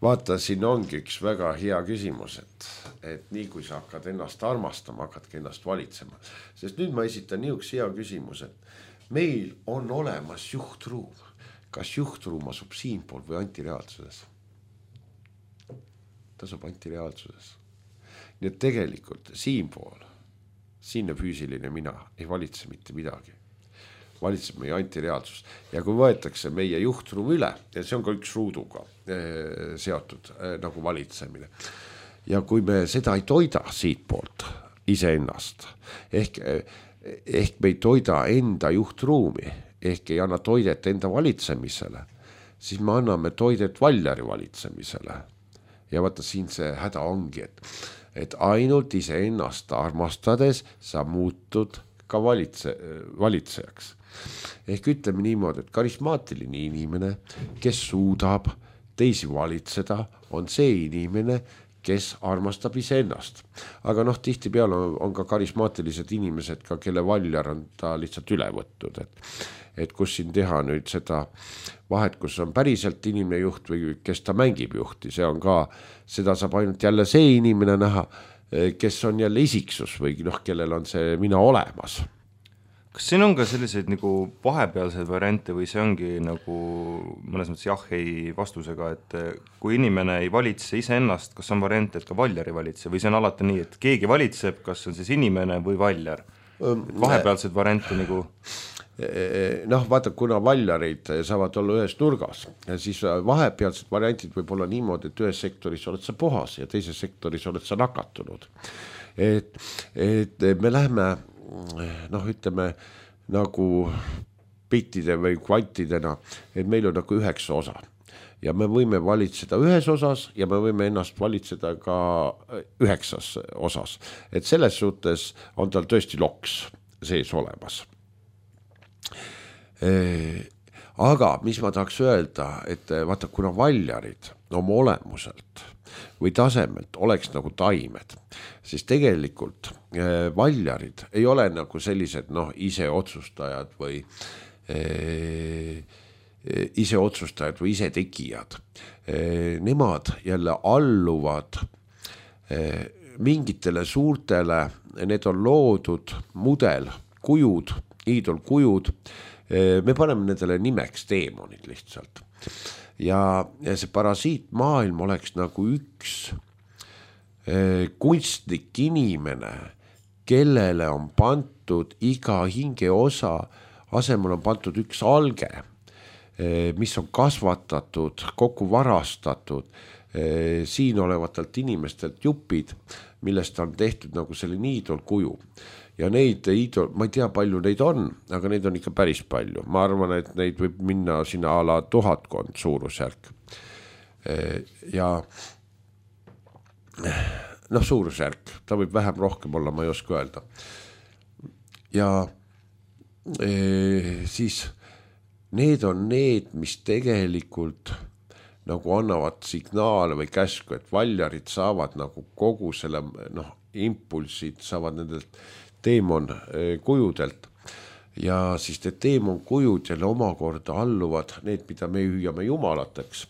Vaata, siin ongi üks väga hea küsimus, et, et nii kui sa hakkad ennast armastama, hakkadki ennast valitsema. Sest nüüd ma esitan niisuguse hea küsimus, et meil on olemas juhtruum. Kas juhtruum asub siinpool või antireaalsuses? Ta asub antireaalsuses. Nii et tegelikult siinpool, siinne füüsiline mina ei valitse mitte midagi. Valitseb meie antireaalsus. Ja kui võetakse meie juhtruum üle, ja see on ka üks ruuduga eh, seotud eh, nagu valitsemine. Ja kui me seda ei toida siit poolt iseennast, ehk, ehk me ei toida enda juhtruumi, ehk ei anna toidet enda valitsemisele, siis me anname toidet valjari valitsemisele. Ja vaata siin see häda ongi, et, et ainult iseennast armastades sa muutud ka valitse, valitsejaks. Ehk ütleme niimoodi, et karismaatiline inimene, kes suudab teisi valitseda, on see inimene, kes armastab iseennast. Aga noh, tihti peal on, on ka karismaatilised inimesed, ka kelle valjar on ta lihtsalt üle võttud. Et, et kus siin teha nüüd seda vahet, kus on päriselt inimene juht või kes ta mängib juhti, see on ka, seda saab ainult jälle see inimene näha, kes on jälle isiksus või noh, kellel on see mina olemas. Kas siin on ka selliseid nagu vahepealseid variante või see ongi nagu mõnes mõttes jah, ei vastusega, et kui inimene ei valitse iseennast, kas on variant, et ka valjar ei valitse või see on alati nii, et keegi valitseb, kas on siis inimene või valjar? Vahepealseid variante nagu... Noh, vaata, kuna valjarid saavad olla ühes nurgas, siis vahepealsed variantid võib olla niimoodi, et ühes sektoris oled sa puhas ja teises sektoris oled sa nakatunud. Et, et me lähme, noh, ütleme nagu bittide või kvantidena, et meil on nagu üheksa osa ja me võime valitseda ühes osas ja me võime ennast valitseda ka üheksas osas. Et selles suhtes on tal tõesti loks sees olemas. Aga mis ma tahaks öelda, et vaata, kuna valjarid oma olemuselt või tasemelt oleks nagu taimed, siis tegelikult valjarid ei ole nagu sellised noh, ise otsustajad või eh, ise otsustajad või ise tegijad. Eh, nemad jälle alluvad eh, mingitele suurtele, need on loodud mudel, kujud, iidolkujud, me paneme nendele nimeks teemonid lihtsalt. Ja, ja see parasiitmaailm oleks nagu üks eh, kunstlik inimene, kellele on pantud iga hinge osa, asemel on pantud üks alge, eh, mis on kasvatatud, kokku varastatud, eh, siin olevatelt inimestelt jupid, millest on tehtud nagu selline iidolkuju. Ja neid idol, ma ei tea, palju neid on, aga neid on ikka päris palju. Ma arvan, et neid võib minna sinna ala tuhatkond suurusjärk. Ja noh, suurusjärk, ta võib vähem rohkem olla, ma ei oska öelda. Ja e, siis need on need, mis tegelikult nagu annavad signaale või käsku, et valjarid saavad nagu kogu selle noh, impulsid saavad nendelt teemon kujudelt ja siis need teemon kujud jälle omakorda alluvad need, mida me hüüame jumalateks,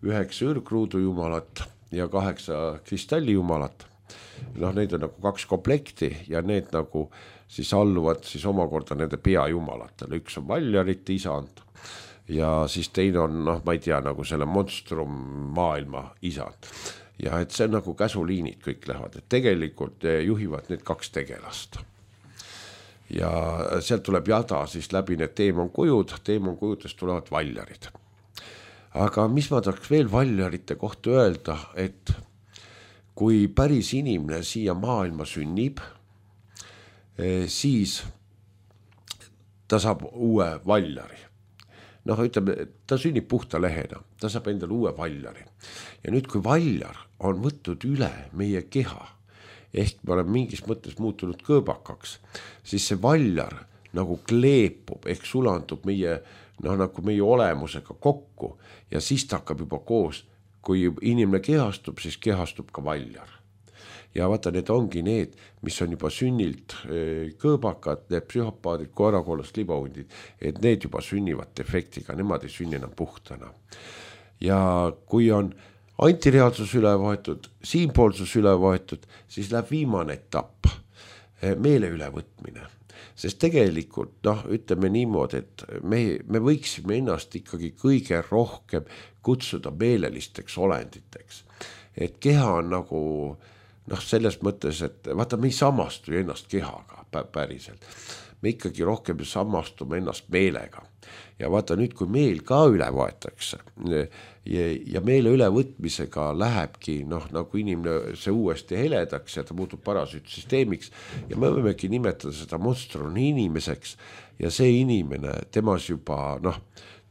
üheksa ürgruudu jumalat ja kaheksa kristalli jumalat. Noh, neid on nagu kaks komplekti ja need nagu siis alluvad siis omakorda nende peajumalatele. Üks on valjarite isand ja siis teine on, noh, ma ei tea, nagu selle monstrum maailma isand. Ja et see on nagu käsuliinid kõik lähevad, et tegelikult juhivad need kaks tegelast. Ja sealt tuleb jada siis läbi need teemonkujud, teemonkujudest tulevad valjarid. Aga mis ma tahaks veel valjarite kohta öelda, et kui päris inimene siia maailma sünnib, siis ta saab uue valjari. Noh, ütleme, ta sünnib puhta lehena, ta saab endale uue valjari. Ja nüüd, kui valjar on võtnud üle meie keha, ehk me oleme mingis mõttes muutunud kõõbakaks, siis see valjar nagu kleepub ehk sulandub meie, noh, nagu meie olemusega kokku ja siis ta hakkab juba koos, kui inimene kehastub, siis kehastub ka valjar. Ja vaata, need ongi need, mis on juba sünnilt kõõbakad, need psühhopaadid, koerakoolast libahundid, et need juba sünnivad defektiga, nemad ei sünni enam puhtana. Ja kui on antireaalsus üle võetud, siinpoolsus üle võetud, siis läheb viimane etapp, meele ülevõtmine. Sest tegelikult, noh, ütleme niimoodi, et me, me võiksime ennast ikkagi kõige rohkem kutsuda meelelisteks olenditeks. Et keha on nagu, noh, selles mõttes, et vaata, me ei samastu ennast kehaga päriselt. Me ikkagi rohkem samastume ennast meelega. Ja vaata nüüd, kui meel ka üle võetakse ja, ja meele ülevõtmisega lähebki, noh, nagu inimene see uuesti heledaks ja ta muutub parasüütsüsteemiks ja me võimegi nimetada seda monstroni inimeseks ja see inimene, temas juba, noh,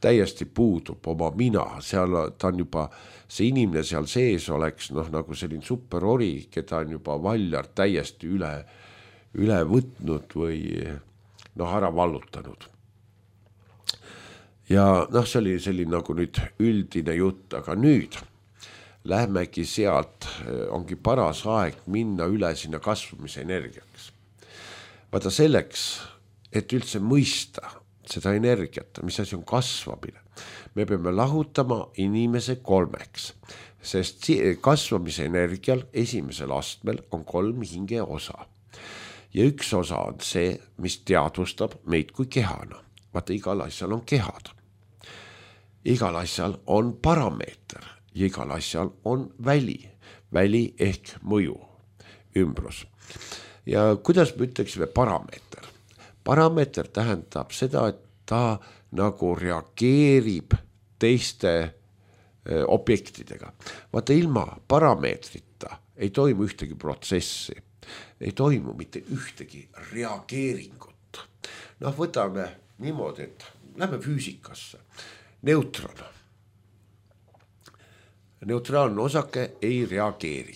täiesti puudub oma mina, seal ta on juba, see inimene seal sees oleks, noh, nagu selline superori, keda on juba valjar täiesti üle, üle võtnud või, noh, ära vallutanud. Ja, noh, see oli selline nagu nüüd üldine jutt, aga nüüd lähmegi sealt, ongi paras aeg minna üle sinna kasvamise energiaks. Vaata selleks, et üldse mõista seda energiat, mis asi on kasvamine. Me peame lahutama inimese kolmeks, sest kasvamise energial esimesel astmel on kolm hinge osa. Ja üks osa on see, mis teadvustab meid kui kehana. Vaata, igal asjal on kehad. Igal asjal on parameeter ja igal asjal on väli. Väli ehk mõju, ümbrus. Ja kuidas me ütleksime parameeter? Parameeter tähendab seda, et ta nagu reageerib teiste öö, objektidega. Vaata, ilma parameetrita ei toimu ühtegi protsessi, ei toimu mitte ühtegi reageeringut. Noh, võtame niimoodi, et lähme füüsikasse. Neutron. Neutraalne osake ei reageeri,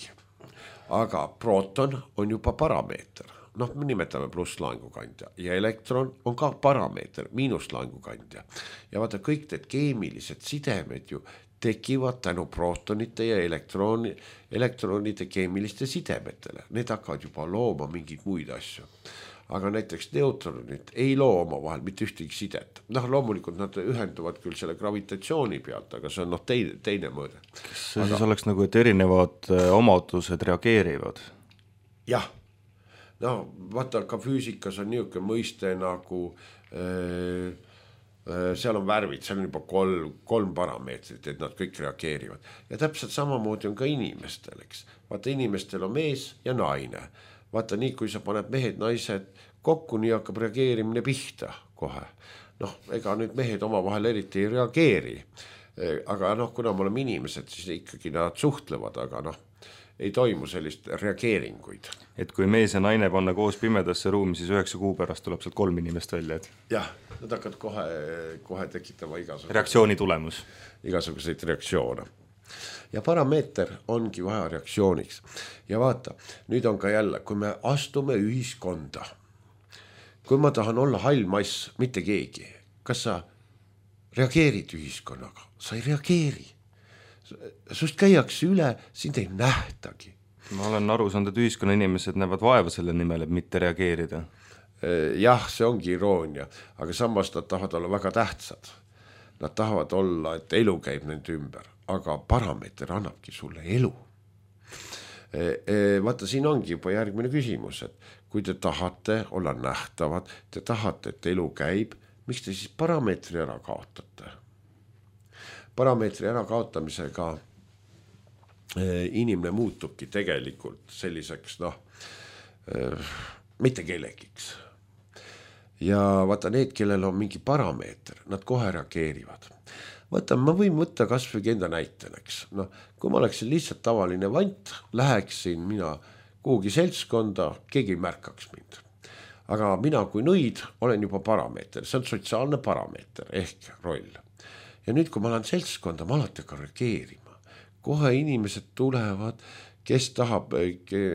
aga proton on juba parameeter. Noh, me nimetame plusslaengukandja ja elektron on ka parameeter, miinuslaengukandja. Ja vaata, kõik need keemilised sidemed ju tekivad tänu protonite ja elektrooni, elektronide keemiliste sidemetele. Need hakkavad juba looma mingeid muid asju. Aga näiteks neutronid ei loo oma vahel mitte ühtegi sidet. Noh, loomulikult nad ühenduvad küll selle gravitatsiooni pealt, aga see on noh, teine, teine mõõde. Kas see aga... siis oleks nagu, et erinevad omadused reageerivad? Jah. No, vaata, ka füüsikas on niisugune mõiste nagu äh, äh, seal on värvid, seal on juba kolm, kolm parameetrit, et nad kõik reageerivad. Ja täpselt samamoodi on ka inimestel, eks. Vaata, inimestel on mees ja naine. Vaata, nii kui sa paned mehed, naised kokku, nii hakkab reageerimine pihta kohe. Noh, ega nüüd mehed oma vahel eriti ei reageeri. Aga noh, kuna me oleme inimesed, siis ikkagi nad suhtlevad, aga noh, ei toimu sellist reageeringuid. Et kui mees ja naine panna koos pimedasse ruumi, siis üheksa kuu pärast tuleb sealt kolm inimest välja. Et... jah, nad hakkavad kohe, kohe tekitama igasuguseid... reaktsiooni tulemus. Igasuguseid reaktsioone. Ja parameeter ongi vaja reaktsiooniks. Ja vaata, nüüd on ka jälle, kui me astume ühiskonda, kui ma tahan olla hall mass, mitte keegi, kas sa reageerid ühiskonnaga? Sa ei reageeri. Sust käiakse üle, sind ei nähtagi. Ma olen aru saanud, et ühiskonna inimesed näevad vaeva selle nimel, et mitte reageerida. Jah, see ongi iroonia, aga samas nad tahavad olla väga tähtsad. Nad tahavad olla, et elu käib nende ümber. Aga parameeter annabki sulle elu. E, e, vaata, siin ongi juba järgmine küsimus, et kui te tahate olla nähtavad, te tahate, et elu käib, miks te siis parameetri ära kaotate? Parameetri ära kaotamisega e, inimene muutubki tegelikult selliseks, noh, e, mitte kellegiks. Ja vaata, need, kellel on mingi parameeter, nad kohe reageerivad. Vaata, ma võin võtta kas või enda näiteneks. No, kui ma oleksin lihtsalt tavaline vant, läheksin mina kuhugi seltskonda, keegi ei märkaks mind. Aga mina kui nõid olen juba parameeter, see on sotsiaalne parameeter ehk roll. Ja nüüd, kui ma olen seltskonda, ma alati ka reageerima. Kohe inimesed tulevad, kes tahab,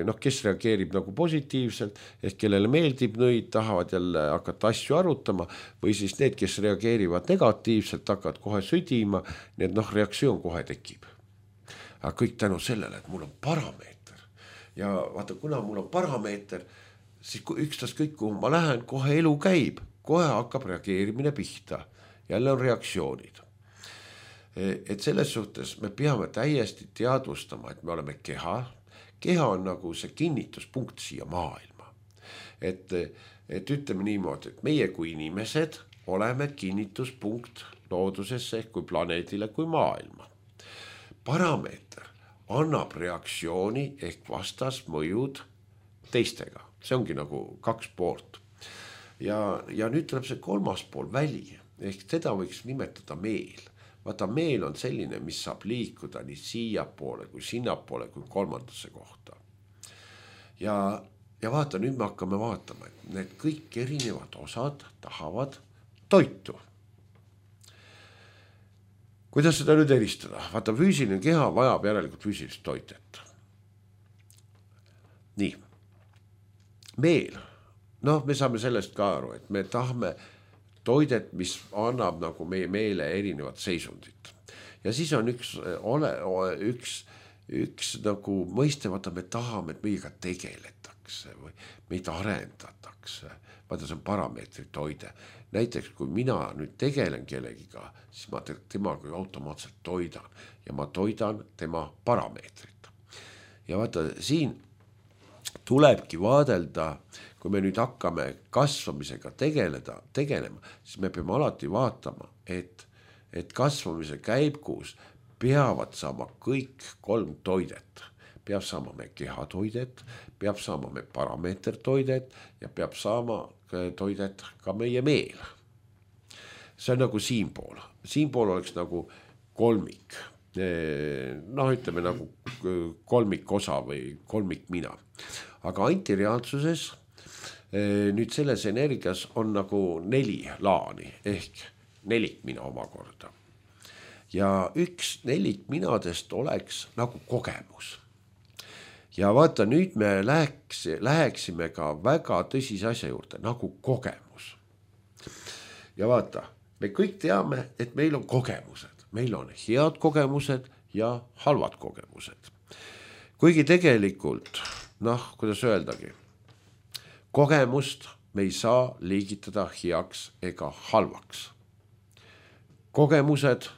noh, kes reageerib nagu positiivselt, ehk kellele meeldib nõid, tahavad jälle hakata asju arutama, või siis need, kes reageerivad negatiivselt, hakkavad kohe südima, nii et noh, reaktsioon kohe tekib. Aga kõik tänu sellele, et mul on parameeter. Ja vaata, kuna mul on parameeter, siis ükstas kõik, kuhu ma lähen, kohe elu käib, kohe hakkab reageerimine pihta. Jälle on reaktsioonid. Et selles suhtes me peame täiesti teadvustama, et me oleme keha. Keha on nagu see kinnituspunkt siia maailma. Et, et ütleme niimoodi, et meie kui inimesed oleme kinnituspunkt loodusesse kui planeedile kui maailma. Parameeter annab reaktsiooni ehk vastasmõjud teistega. See ongi nagu kaks poolt. Ja, ja nüüd tuleb see kolmas pool väli, ehk seda võiks nimetada meel. Vaata, meel on selline, mis saab liikuda nii siia poole kui sinna poole kui kolmandasse kohta. Ja, ja vaata, nüüd me hakkame vaatama, et need kõik erinevad osad tahavad toitu. Kuidas seda nüüd eristada? Vaata, füüsiline keha vajab järelikult füüsilist toitet. Nii. Meel. Noh, me saame sellest ka aru, et me tahame toidet, mis annab nagu meie meele erinevat seisundit. Ja siis on üks, ole, üks, üks nagu mõiste, vaata, me tahame, et meiega tegeletakse või meid arendatakse. Vaata, see on parameetri toide. Näiteks, kui mina nüüd tegelen kellegiga, siis ma temaga automaatselt toidan ja ma toidan tema parameetrit. Ja vaata, siin tulebki vaadelda, kui me nüüd hakkame kasvamisega tegeleda, tegelema, siis me peame alati vaatama, et, et kasvamise käibkuus peavad saama kõik kolm toidet. Peab saama me kehatoidet, peab saama me parameetertoidet ja peab saama toidet ka meie meel. See on nagu siinpool. Siinpool oleks nagu kolmik. Noh, ütleme nagu kolmik osa või kolmik mina. Aga antireaalsuses nüüd selles energias on nagu neli laani ehk nelik mina omakorda. Ja üks nelik minadest oleks nagu kogemus. Ja vaata, nüüd me läheks, läheksime ka väga tõsise asja juurde, nagu kogemus. Ja vaata, me kõik teame, et meil on kogemused. Meil on head kogemused ja halvad kogemused. Kuigi tegelikult, noh, kuidas öeldagi, kogemust me ei saa liigitada heaks ega halvaks. Kogemused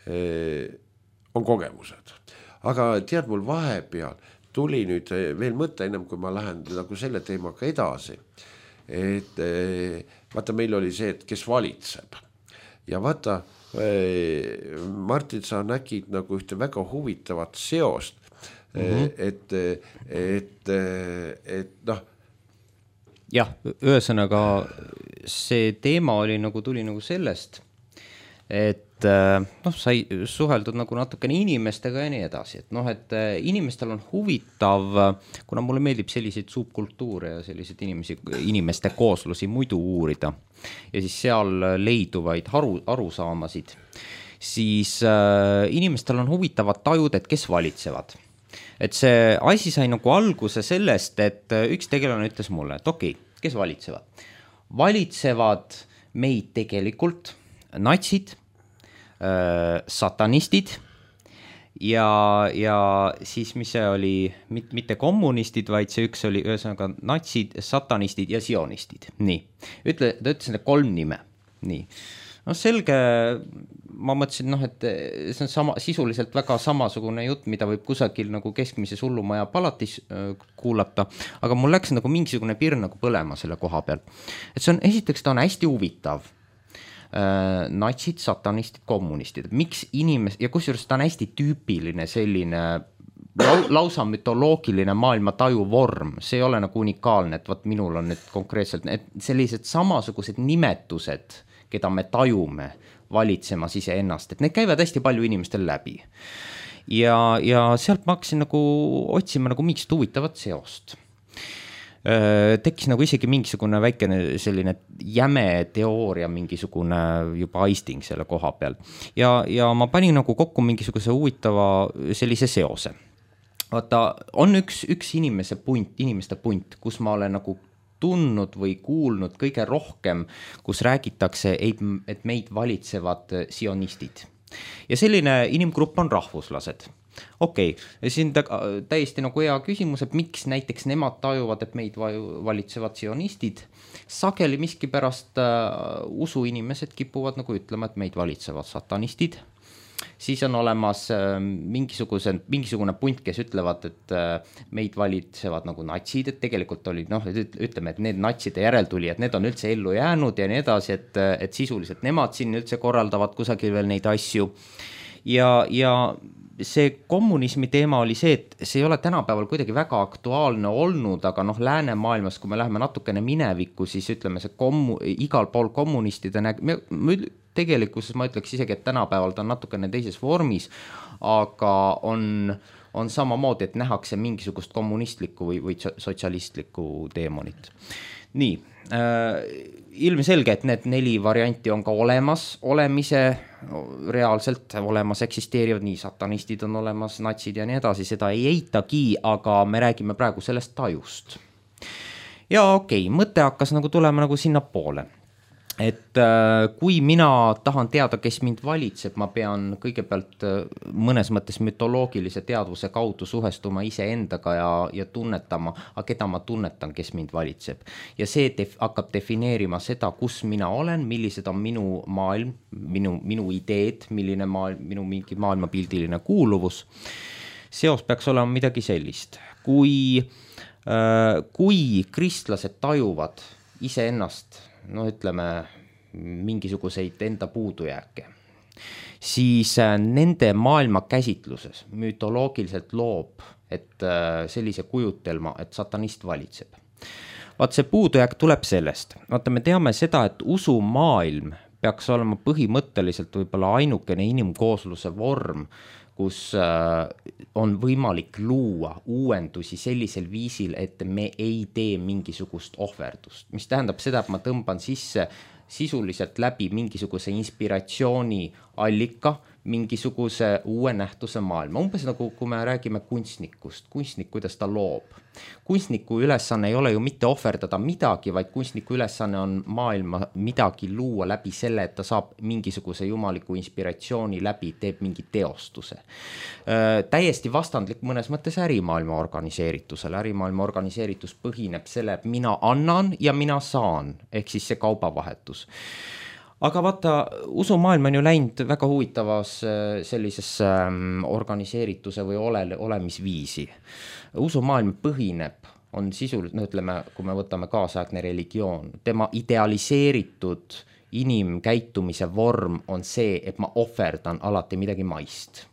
eh, on kogemused. Aga tead, mul vahepeal tuli nüüd veel mõte ennem, kui ma lähen nagu selle teemaga edasi. Et eh, vaata, meil oli see, et kes valitseb. Ja vaata, eh, Martin, sa nägid nagu ühte väga huvitavat seost. Mm-hmm. et, et, et noh. Jah, ühesõnaga see teema oli nagu tuli nagu sellest, et noh, sai suheldud nagu natukene inimestega ja nii edasi, et noh, et inimestel on huvitav, kuna mulle meeldib selliseid subkultuure ja selliseid inimesi, inimeste kooslusi muidu uurida ja siis seal leiduvaid aru, arusaamasid, siis äh, inimestel on huvitavad tajud, et kes valitsevad. Et see asi sai nagu alguse sellest, et üks tegelane ütles mulle, et okei, okay, kes valitsevad? Valitsevad meid tegelikult natsid, äh, satanistid ja, ja siis mis see oli, mit, mitte kommunistid, vaid see üks oli ühesõnaga natsid, satanistid ja sionistid. Nii, ütle, ta ütles need kolm nime. Nii. No selge, ma mõtlesin, noh, et see on sama, sisuliselt väga samasugune jutt, mida võib kusagil nagu keskmise hullumaja palatis äh, kuulata, aga mul läks nagu mingisugune pirn nagu põlema selle koha peal. Et see on, esiteks ta on hästi huvitav. Äh, natsid, satanistid, kommunistid. Miks inimes- ja kusjuures ta on hästi tüüpiline selline lau, lausa mütoloogiline maailma taju vorm. See ei ole nagu unikaalne, et vaat minul on nüüd konkreetselt et sellised samasugused nimetused, keda me tajume valitsemas ise ennast, et need käivad hästi palju inimestel läbi. Ja, ja sealt ma hakkasin nagu otsima nagu mingit huvitavat seost. tekkis nagu isegi mingisugune väikene selline jäme teooria, mingisugune juba aisting selle koha peal. Ja, ja ma panin nagu kokku mingisuguse huvitava sellise seose. Vaata, on üks, üks inimese punt, inimeste punt, kus ma olen nagu tundnud või kuulnud kõige rohkem, kus räägitakse, et meid valitsevad sionistid. Ja selline inimgrupp on rahvuslased. Okei, okay. Siin täiesti nagu hea küsimus, et miks näiteks nemad tajuvad, et meid valitsevad sionistid. Sageli miski pärast uh, usu inimesed kipuvad nagu ütlema, et meid valitsevad satanistid. Siis on olemas uh, mingisuguse, mingisugune punt, kes ütlevad, et uh, meid valitsevad nagu natsid, et tegelikult oli, noh, ütleme, et need natside järeltuli, et need on üldse ellu jäänud ja nii edasi, et, et sisuliselt nemad siin üldse korraldavad kusagil veel neid asju. Ja, ja see kommunismi teema oli see, et see ei ole tänapäeval kuidagi väga aktuaalne olnud, aga noh, läänemaailmas, kui me läheme natukene minevikku, siis ütleme see kommu, igal pool kommunistide näg-, tegelikkuses ma ütleks isegi, et tänapäeval ta on natukene teises vormis, aga on, on samamoodi, et nähakse mingisugust kommunistlikku või, või sotsialistlikku teemonit. Nii, äh, ilmselge, et need neli varianti on ka olemas, olemise reaalselt olemas eksisteerivad, nii satanistid on olemas, natsid ja nii edasi, seda ei eitagi, aga me räägime praegu sellest tajust. Ja okei, okay, mõte hakkas nagu tulema nagu sinna poole. Et äh, kui mina tahan teada, kes mind valitseb, ma pean kõigepealt äh, mõnes mõttes mütoloogilise teadvuse kaudu suhestuma ise endaga ja, ja tunnetama, aga keda ma tunnetan, kes mind valitseb. Ja see def- hakkab defineerima seda, kus mina olen, millised on minu maailm, minu, minu ideed, milline maailm, minu mingi maailmapildiline kuuluvus. Seos peaks olema midagi sellist. Kui, äh, kui kristlased tajuvad ise ennast, no ütleme, mingisuguseid enda puudujääke, siis nende maailma käsitluses mütoloogiliselt loob, et sellise kujutelma, et satanist valitseb. Vaat see puudujääk tuleb sellest. Vaata, me teame seda, et usumaailm peaks olema põhimõtteliselt võib-olla ainukene inimkoosluse vorm, kus on võimalik luua uuendusi sellisel viisil, et me ei tee mingisugust ohverdust. Mis tähendab seda, et ma tõmban sisse sisuliselt läbi mingisuguse inspiratsiooni allika, mingisuguse uue nähtuse maailma. Umbes nagu, kui me räägime kunstnikust, kunstnik, kuidas ta loob. Kunstniku ülesanne ei ole ju mitte ohverdada midagi, vaid kunstniku ülesanne on maailma midagi luua läbi selle, et ta saab mingisuguse jumaliku inspiratsiooni läbi, teeb mingi teostuse. Täiesti vastandlik mõnes mõttes ärimaailma organiseeritusele. Ärimaailma organiseeritus põhineb selle, et mina annan ja mina saan, ehk siis see kaubavahetus. Aga vaata, usumaailm on ju läinud väga huvitavas sellises organiseerituse või ole, olemisviisi. Usumaailm põhineb, on sisuliselt, no ütleme, kui me võtame kaasaegne religioon, tema idealiseeritud inimkäitumise vorm on see, et ma ohverdan alati midagi maist.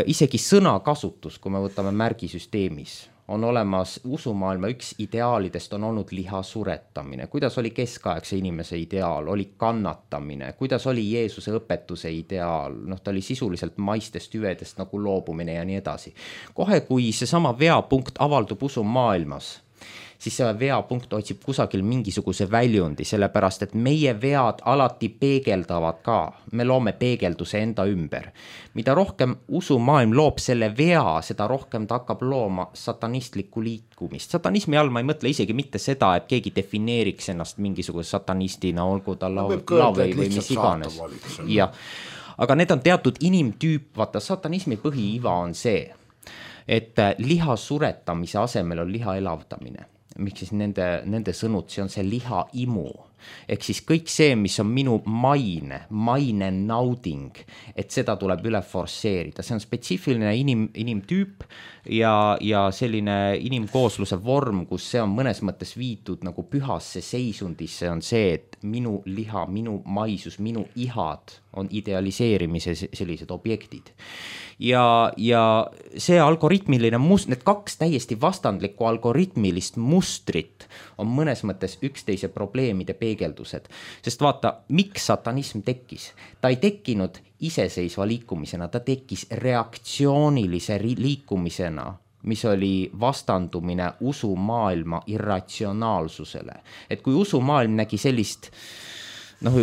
Isegi sõnakasutus, kui me võtame märgisüsteemis, on olemas usumaailma üks ideaalidest on olnud liha suretamine. Kuidas oli keskaegse inimese ideaal? Oli kannatamine. Kuidas oli Jeesuse õpetuse ideaal? Noh, ta oli sisuliselt maistest hüvedest nagu loobumine ja nii edasi. Kohe, kui see sama veapunkt avaldub usumaailmas, siis see veapunkt otsib kusagil mingisuguse väljundi, sellepärast, et meie vead alati peegeldavad ka. Me loome peegelduse enda ümber. Mida rohkem usumaailm loob selle vea, seda rohkem ta hakkab looma satanistlikku liikumist. Satanismi all ma ei mõtle isegi mitte seda, et keegi defineeriks ennast mingisuguse satanistina, olgu ta lau- või, või mis iganes. Ja. Aga need on teatud inimtüüp, vaata satanismi põhiiva on see, et liha suretamise asemel on liha elavdamine. Miks siis nende, nende sõnud, see on see liha imu. Ehk siis kõik see, mis on minu maine, maine nauding, et seda tuleb üle forsseerida. See on spetsiifiline inim, inimtüüp ja, ja selline inimkoosluse vorm, kus see on mõnes mõttes viidud nagu pühasse seisundisse, on see, et minu liha, minu maisus, minu ihad on idealiseerimise sellised objektid. Ja, ja see algoritmiline must, need kaks täiesti vastandlikku algoritmilist mustrit on mõnes mõttes üksteise probleemide peegeldused. Sest vaata, miks satanism tekkis? Ta ei tekkinud iseseisva liikumisena, ta tekkis reaktsioonilise liikumisena mis oli vastandumine usumaailma irratsionaalsusele. Et kui usumaailm nägi sellist noh,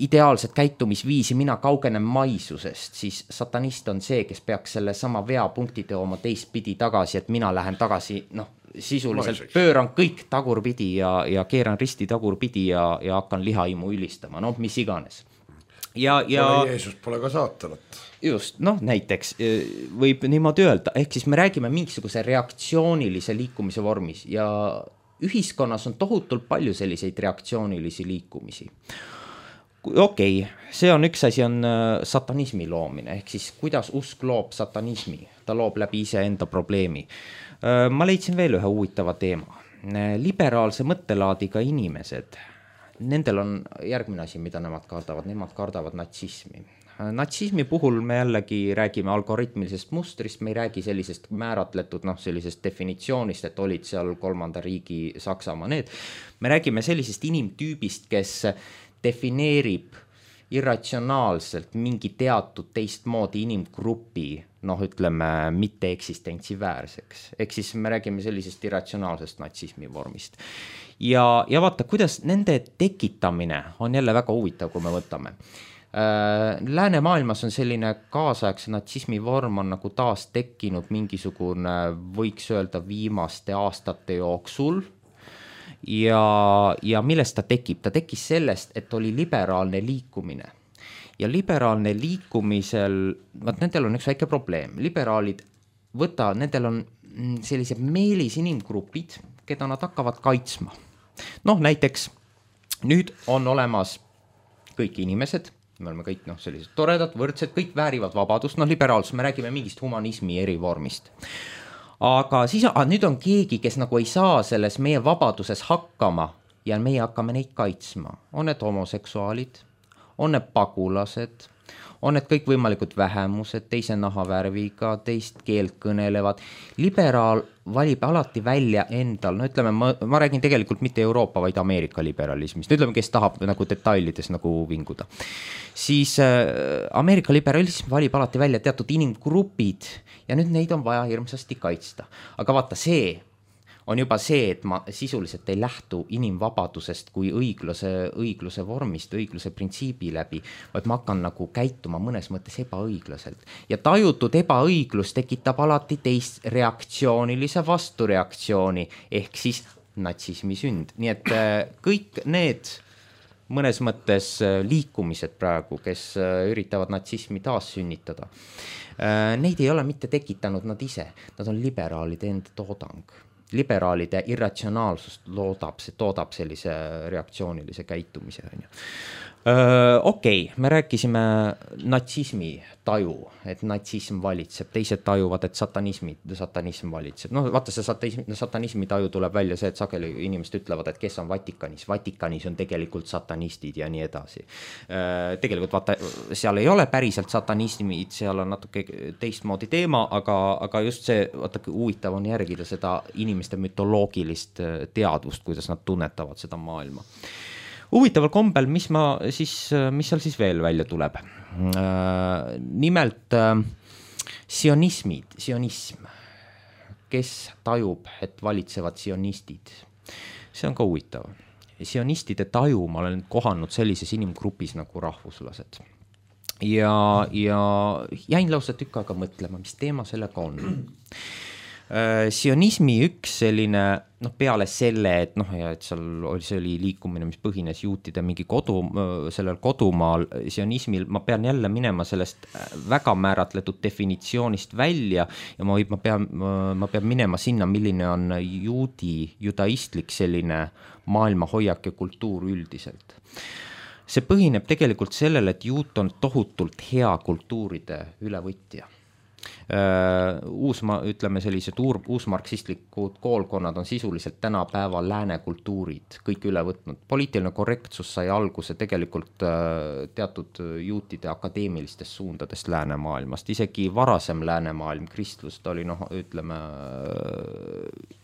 ideaalset käitumisviisi, mina kaugenen maisusest, siis satanist on see, kes peaks selle sama veapunkti tooma teistpidi tagasi, et mina lähen tagasi, noh, sisuliselt Maiseks. Pööran kõik tagurpidi ja, ja keeran risti tagurpidi ja, ja hakkan lihaimu ülistama, noh, mis iganes. Ja, ja pole Jeesus, pole ka saatanat. Just, noh, näiteks võib niimoodi öelda, ehk siis me räägime mingisuguse reaktsioonilise liikumise vormis ja ühiskonnas on tohutult palju selliseid reaktsioonilisi liikumisi. Okei, okay, see on üks asi on satanismi loomine, ehk siis kuidas usk loob satanismi, ta loob läbi iseenda probleemi. Ma leidsin veel ühe huvitava teema. Liberaalse mõttelaadiga inimesed, nendel on järgmine asi, mida nemad kardavad, nemad kardavad natsismi. Natsismi puhul me jällegi räägime algoritmilisest mustrist, me ei räägi sellisest määratletud, noh, sellisest definitsioonist, et olid seal kolmanda riigi Saksamaa need. Me räägime sellisest inimtüübist, kes defineerib irratsionaalselt mingi teatud teistmoodi inimgrupi, noh, ütleme, mitte eksistentsi väärseks. Ehk siis me räägime sellisest irratsionaalsest natsismi vormist. Ja, ja vaata, kuidas nende tekitamine on jälle väga huvitav, kui me võtame. Läänemaailmas on selline kaasaegse natsismi vorm on nagu taas tekkinud mingisugune, võiks öelda, viimaste aastate jooksul ja, ja millest ta tekib? Ta tekkis sellest, et oli liberaalne liikumine ja liberaalne liikumisel, vaat nendel on üks väike probleem, liberaalid võta, nendel on sellised meelis inimgrupid, keda nad hakkavad kaitsma. Noh, näiteks nüüd on olemas kõik inimesed, me oleme kõik noh, sellised toredad, võrdsed, kõik väärivad vabadust, noh liberaalsus, me räägime mingist humanismi erivormist. Aga siis ah, nüüd on keegi, kes nagu ei saa selles meie vabaduses hakkama ja meie hakkame neid kaitsma. On need homoseksuaalid, on need pagulased, on need kõik võimalikud vähemused, teise nahavärviga, teist keelt kõnelevad. Liberaal valib alati välja endal, no ütleme, ma, ma räägin tegelikult mitte Euroopa, vaid Ameerika liberalismist. Ütleme, kes tahab nagu detailides nagu vinguda. Siis äh, Ameerika liberalism valib alati välja teatud inimgrupid ja nüüd neid on vaja hirmsasti kaitsta. Aga vaata, see on juba see, et ma sisuliselt ei lähtu inimvabadusest kui õigluse, õigluse vormist, õigluse printsiibi läbi, vaid ma hakkan nagu käituma mõnes mõttes ebaõiglaselt. Ja tajutud ebaõiglus tekitab alati teist reaktsioonilise vastureaktsiooni, ehk siis natsismi sünd. Nii et kõik need mõnes mõttes liikumised praegu, kes üritavad natsismi taas sünnitada, neid ei ole mitte tekitanud nad ise, nad on liberaalide enda toodang. Liberaalide irratsionaalsust loodab, see toodab sellise reaktsioonilise käitumise. Okei, okay, me rääkisime natsismi taju, et natsism valitseb, teised tajuvad, et satanismi, satanism valitseb. No vaata, see satanismi, satanismi taju tuleb välja see, et sageli inimesed ütlevad, et kes on Vatikanis. Vatikanis on tegelikult satanistid ja nii edasi. Tegelikult vaata, seal ei ole päriselt satanismid, seal on natuke teistmoodi teema, aga, aga just see, vaata, huvitav on järgida seda inimeste mütoloogilist teadvust, kuidas nad tunnetavad seda maailma. Huvitaval kombel, mis, ma siis, mis seal siis veel välja tuleb? Nimelt sionismid, sionism, kes tajub, et valitsevad sionistid. See on ka huvitav. Sionistide taju ma olen kohanud sellises inimgrupis nagu rahvuslased. Ja, ja jäin lausa tükk aega mõtlema, mis teema sellega on. Sionismi üks selline, noh peale selle, et noh, ja et seal oli, see oli liikumine, mis põhines juutide mingi kodu, sellel kodumaal sionismil, ma pean jälle minema sellest väga määratletud definitsioonist välja ja ma, ma, pean, ma pean minema sinna, milline on juudi, judaistlik selline maailma hoiak ja kultuur üldiselt. See põhineb tegelikult sellele, et juut on tohutult hea kultuuride ülevõtja. Uus, ma ütleme sellised uur, uusmarksistlikud koolkonnad on sisuliselt tänapäeva lääne kultuurid kõik üle võtnud. Poliitiline korrektsus sai alguse tegelikult teatud juutide akadeemilistest suundadest läänemaailmast. Isegi varasem läänemaailm, kristlus, ta oli, noh, ütleme,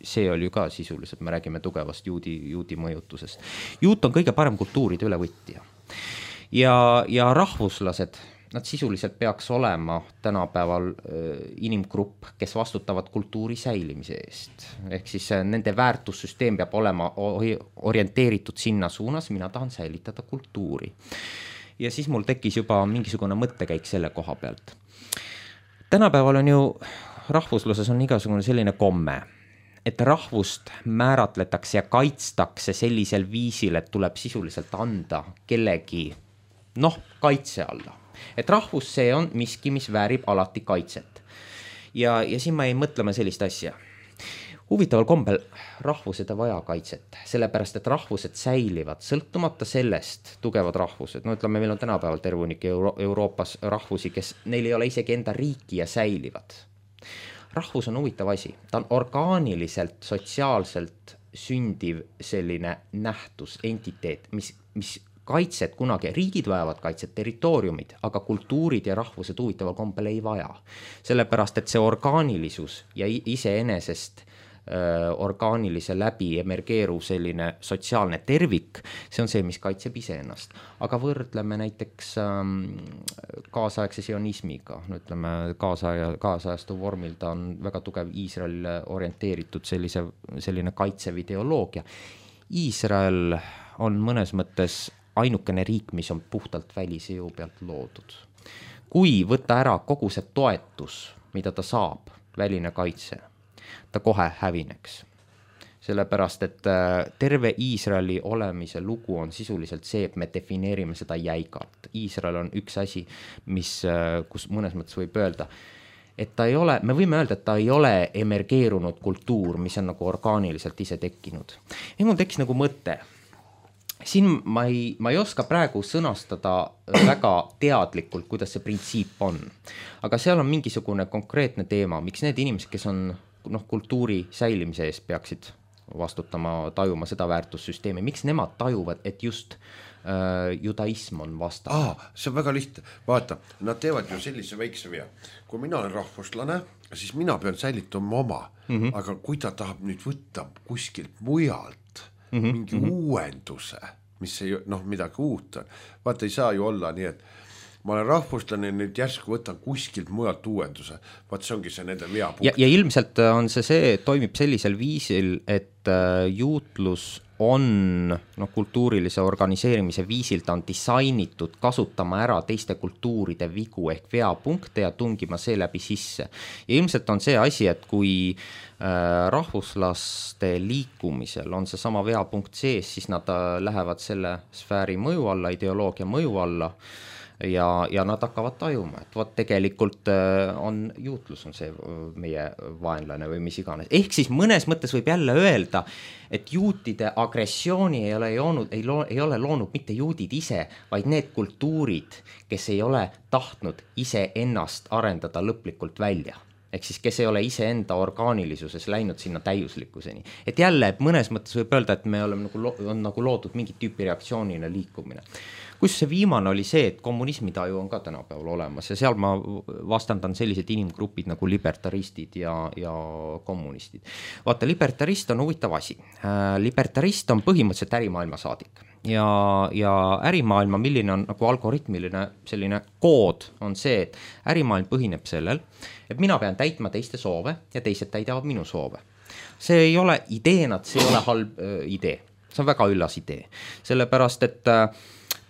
see oli ju ka sisuliselt, me räägime tugevast juudi, juudi mõjutusest. Juut on kõige parem kultuuride ülevõtja. Ja, ja rahvuslased nad sisuliselt peaks olema tänapäeval inimgrupp, kes vastutavad kultuuri säilimise eest. Ehk siis nende väärtussüsteem peab olema orienteeritud sinna suunas, mina tahan säilitada kultuuri. Ja siis mul tekkis juba mingisugune mõttekäik selle koha pealt. Tänapäeval on ju, rahvusluses on igasugune selline komme, et rahvust määratletakse ja kaitstakse sellisel viisil, et tuleb sisuliselt anda kellegi, noh, kaitse alla. Et rahvus see on miski, mis väärib alati kaitset. Ja, ja siin ma ei mõtlema sellist asja. Huvitaval kombel rahvused ei vaja kaitset, sellepärast et rahvused säilivad, sõltumata sellest tugevad rahvused. No ütleme, meil on tänapäeval tervunik Euro- Euroopas rahvusi, kes neil ei ole isegi enda riiki ja säilivad. Rahvus on huvitav asi, ta on orgaaniliselt, sotsiaalselt sündiv selline nähtus, entiteet, mis, mis kaitset kunagi, riigid vajavad kaitset, territooriumid, aga kultuurid ja rahvused huvitaval kombel ei vaja. Sellepärast, et see orgaanilisus ja iseenesest orgaanilise läbi emergeeruv selline sotsiaalne tervik, see on see, mis kaitseb iseennast. Aga võrdleme näiteks ähm, kaasaegse sionismiga, no ütleme kaasaja, kaasajastu vormil, ta on väga tugev Iisrael orienteeritud sellise, selline kaitsev ideoloogia. Iisrael on mõnes mõttes ainukene riik, mis on puhtalt välise jõu pealt loodud. Kui võtta ära kogu see toetus, mida ta saab, väline kaitse, ta kohe hävineks. Sellepärast, et terve Iisraeli olemise lugu on sisuliselt see, et me defineerime seda jäigalt. Iisrael on üks asi, mis, kus mõnes mõttes võib öelda, et ta ei ole, me võime öelda, et ta ei ole emergeerunud kultuur, mis on nagu orgaaniliselt ise tekkinud. Ja mul tekkis nagu mõte. Siin ma ei, ma ei oska praegu sõnastada väga teadlikult, kuidas see printsiip on. Aga seal on mingisugune konkreetne teema, miks need inimesed, kes on noh, kultuuri säilimise eest peaksid vastutama, tajuma seda väärtussüsteemi, miks nemad tajuvad, et just äh, judaism on vastav? Aa, see on väga lihtne. Vaata, nad teevad ju sellise väikse vea. Kui mina olen rahvuslane, siis mina pean säilitama oma. Mm-hmm. Aga kui ta tahab nüüd võtta kuskilt mujalt mm-hmm. mingi mm-hmm. uuenduse, mis ei, noh, midagi uut on. Vaata, ei saa ju olla nii, et ma olen rahvuslane, nüüd järsku võtan kuskilt mujalt uuenduse. Vaat see ongi see nende veapunkt. Ja, ja ilmselt on see see, toimib sellisel viisil, et juutlus on no, kultuurilise organiseerimise viisil, ta on disainitud kasutama ära teiste kultuuride vigu ehk veapunkte ja tungima see läbi sisse. Ja ilmselt on see asi, et kui äh, rahvuslaste liikumisel on see sama veapunkt sees, siis nad äh, lähevad selle sfääri mõju alla, ideoloogia mõju alla ja, ja nad hakkavad tajuma, et võt tegelikult on juutlus on see meie vaenlane või mis iganes. Ehk siis mõnes mõttes võib jälle öelda, et juutide agressiooni ei ole, joonud, ei, loo, ei ole loonud mitte juudid ise, vaid need kultuurid, kes ei ole tahtnud ise ennast arendada lõplikult välja. Ehk siis kes ei ole ise enda orgaanilisuses läinud sinna täiuslikkuseni. Et jälle, et mõnes mõttes võib öelda, et me oleme nagu, on nagu loodud mingi tüüpi reaktsioonina liikumine. Kus see viimane oli see, et kommunismitaju on ka tänapäeval olemas ja seal ma vastandan sellised inimgrupid nagu libertaristid ja, ja kommunistid. Vaata, libertarist on huvitav asi. Libertarist on põhimõtteliselt ärimaailma saadik ja, ja ärimaailma, milline on nagu algoritmiline selline kood on see, et ärimaailm põhineb sellel, et mina pean täitma teiste soove ja teised täidavad minu soove. See ei ole ideena, see ei ole halb äh, idee. See on väga üllas idee. Sellepärast, et äh,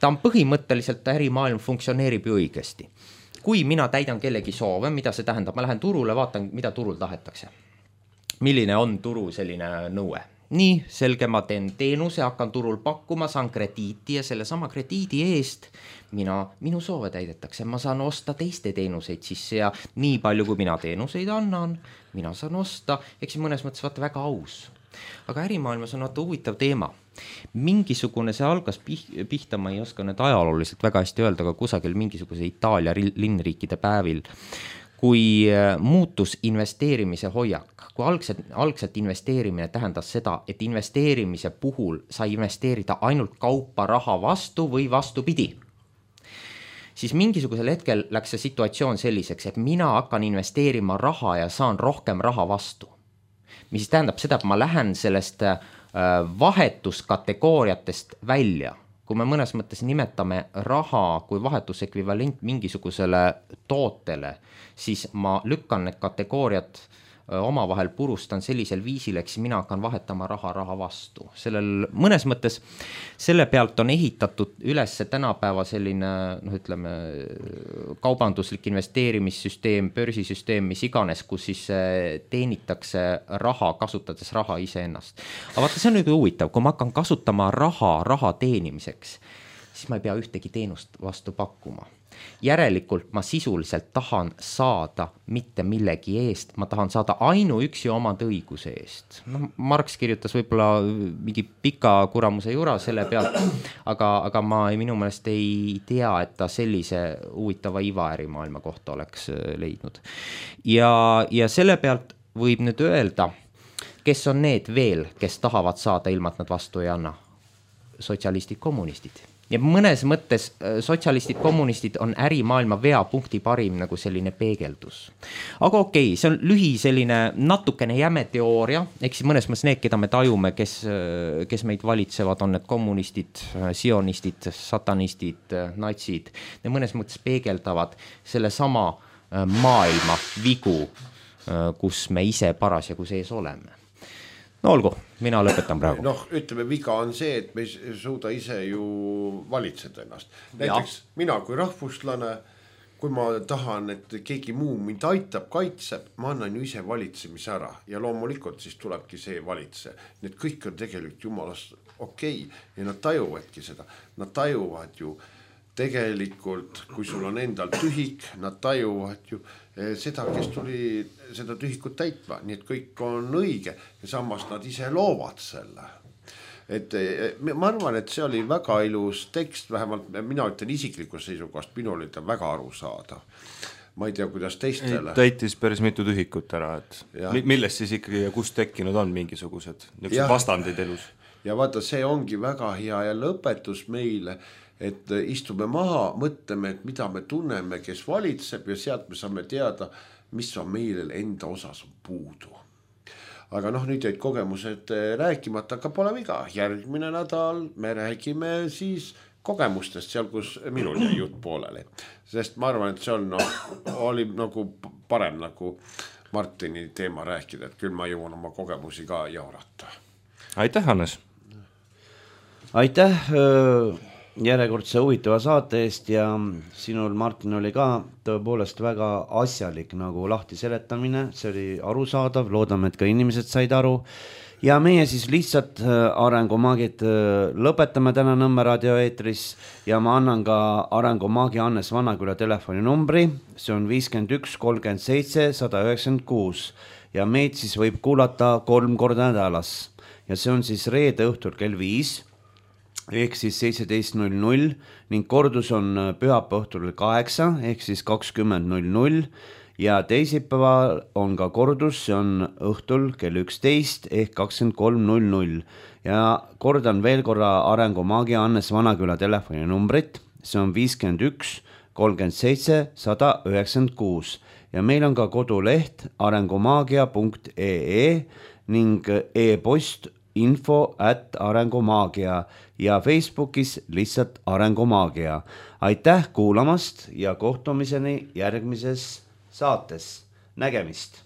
ta on põhimõtteliselt, ärimaailm funktsioneerib ju õigesti. Kui mina täidan kellegi soove, mida see tähendab, ma lähen turule, vaatan, mida turul tahetakse. Milline on turu selline nõue? Nii, selge, ma teen teenuse, hakkan turul pakkuma, saan krediiti ja selle sama krediidi eest mina, minu soove täidetakse. Ma saan osta teiste teenuseid sisse ja nii palju, kui mina teenuseid annan, mina saan osta, eks mõnes mõttes vaata väga aus. Aga ärimaailmas on vaata huvitav teema. Mingisugune see algas pihta, ma ei oska nüüd ajalooliselt väga hästi öelda, aga kusagil mingisuguse Itaalia linnriikide päevil, kui muutus investeerimise hoiak, kui algselt, algselt investeerimine tähendas seda, et investeerimise puhul sai investeerida ainult kaupa raha vastu või vastupidi, siis mingisugusel hetkel läks see situatsioon selliseks, et mina hakkan investeerima raha ja saan rohkem raha vastu. Mis tähendab seda, et ma lähen sellest vahetuskategooriatest välja. kui me mõnes mõttes nimetame raha kui vahetusekvivalent mingisugusele tootele, siis ma lükkan need kategooriad omavahel purustan sellisel viisil, eks mina hakkan vahetama raha raha vastu. Sellel mõnes mõttes selle pealt on ehitatud üles tänapäeva selline, noh ütleme, kaubanduslik investeerimissüsteem, börsisüsteem, mis iganes, kus siis teenitakse raha, kasutades raha iseennast. Aga vaata, see on nüüd huvitav, kui ma hakkan kasutama raha raha teenimiseks, siis ma ei pea ühtegi teenust vastu pakkuma. Järelikult ma sisuliselt tahan saada mitte millegi eest, ma tahan saada ainuüksi omad õiguse eest. No, Marx kirjutas võib-olla mingi pika kuramuse jura selle pealt, aga, aga ma minu meelest ei tea, et ta sellise huvitava ivaärimaailma kohta oleks leidnud. Ja, ja selle pealt võib nüüd öelda, kes on need veel, kes tahavad saada ilma, et nad vastu ei anna? Sotsialistid, kommunistid. Ja mõnes mõttes sotsialistid, kommunistid on ärimaailma veapunkti parim nagu selline peegeldus. Aga okei, see on lühi selline natukene jäme teooria, eks mõnes mõttes need, keda me tajume, kes, kes meid valitsevad, on need kommunistid, sionistid, satanistid, natsid. Need mõnes mõttes peegeldavad selle sama maailma vigu, kus me ise parasjagu sees oleme. No olgu, mina lõpetan praegu. Noh, ütleme, viga on see, et me ei suuda ise ju valitseda ennast. Näiteks ja. Mina kui rahvuslane, kui ma tahan, et keegi muu mind aitab, kaitseb, ma annan ju ise valitsemise ära. Ja loomulikult siis tulebki see valitse. Need kõik on tegelikult jumalast okei. Ja nad tajuvadki seda. Nad tajuvad ju tegelikult, kui sul on endal tühik, nad tajuvad ju seda, kes tuli seda tühikut täitma, nii et kõik on õige ja samas nad ise loovad selle. Et ma arvan, et see oli väga ilus tekst, vähemalt mina ütlen isiklikus seisukohast, minu oli ta väga aru saada. Ma ei tea, kuidas teistele. Täitis päris mitu tühikut ära, et ja. Millest siis ikkagi ja kust tekkinud on mingisugused niisugused vastandid elus? Ja vaata, see ongi väga hea ja lõpetus meile, et istume maha, mõtleme, et mida me tunneme, kes valitseb ja sealt me saame teada, mis on meile enda osas puudu. Aga noh, nüüd jäid kogemused rääkimata, aga pole viga. Järgmine nädal me räägime siis kogemustest seal, kus minul jäi jutt pooleli. Sest ma arvan, et see on, no, oli nagu parem nagu Martini teema rääkida, et küll ma jõuan oma kogemusi ka jaurata. Aitäh, Hannes! Aitäh! Järjekordse huvitava saate eest ja sinul, Martin, oli ka tõepoolest väga asjalik nagu lahti seletamine, see oli arusaadav, loodame, et ka inimesed said aru ja meie siis lihtsalt Arengumaagid lõpetame täna Nõmme raadio eetris ja ma annan ka Arengumaagi Hannes Vanaküla telefoninumbri, see on viiskümmend üks kolmkümmend seitse sada üheksakümmend kuus ja meid siis võib kuulata kolm korda nädalas ja see on siis reede õhtul kell viis ehk siis seitseteist null null ning kordus on pühapäeva õhtul kaheksa ehk siis kakskümmend null null ja teisipäeval on ka kordus, see on õhtul kell üksteist ehk kakskümmend kolm null null ja kordan veel korra Arengumaagi Hannes Vanaküla telefoninumbrit, see on viiskümmend üks kolmkümmend seitse sada üheksakümmend kuus ja meil on ka koduleht arengumaagia punkt ee ning e-post info at arengumaagia ja Facebookis lihtsalt Arengumaagia. Aitäh kuulamast ja kohtumiseni järgmises saates. Nägemist!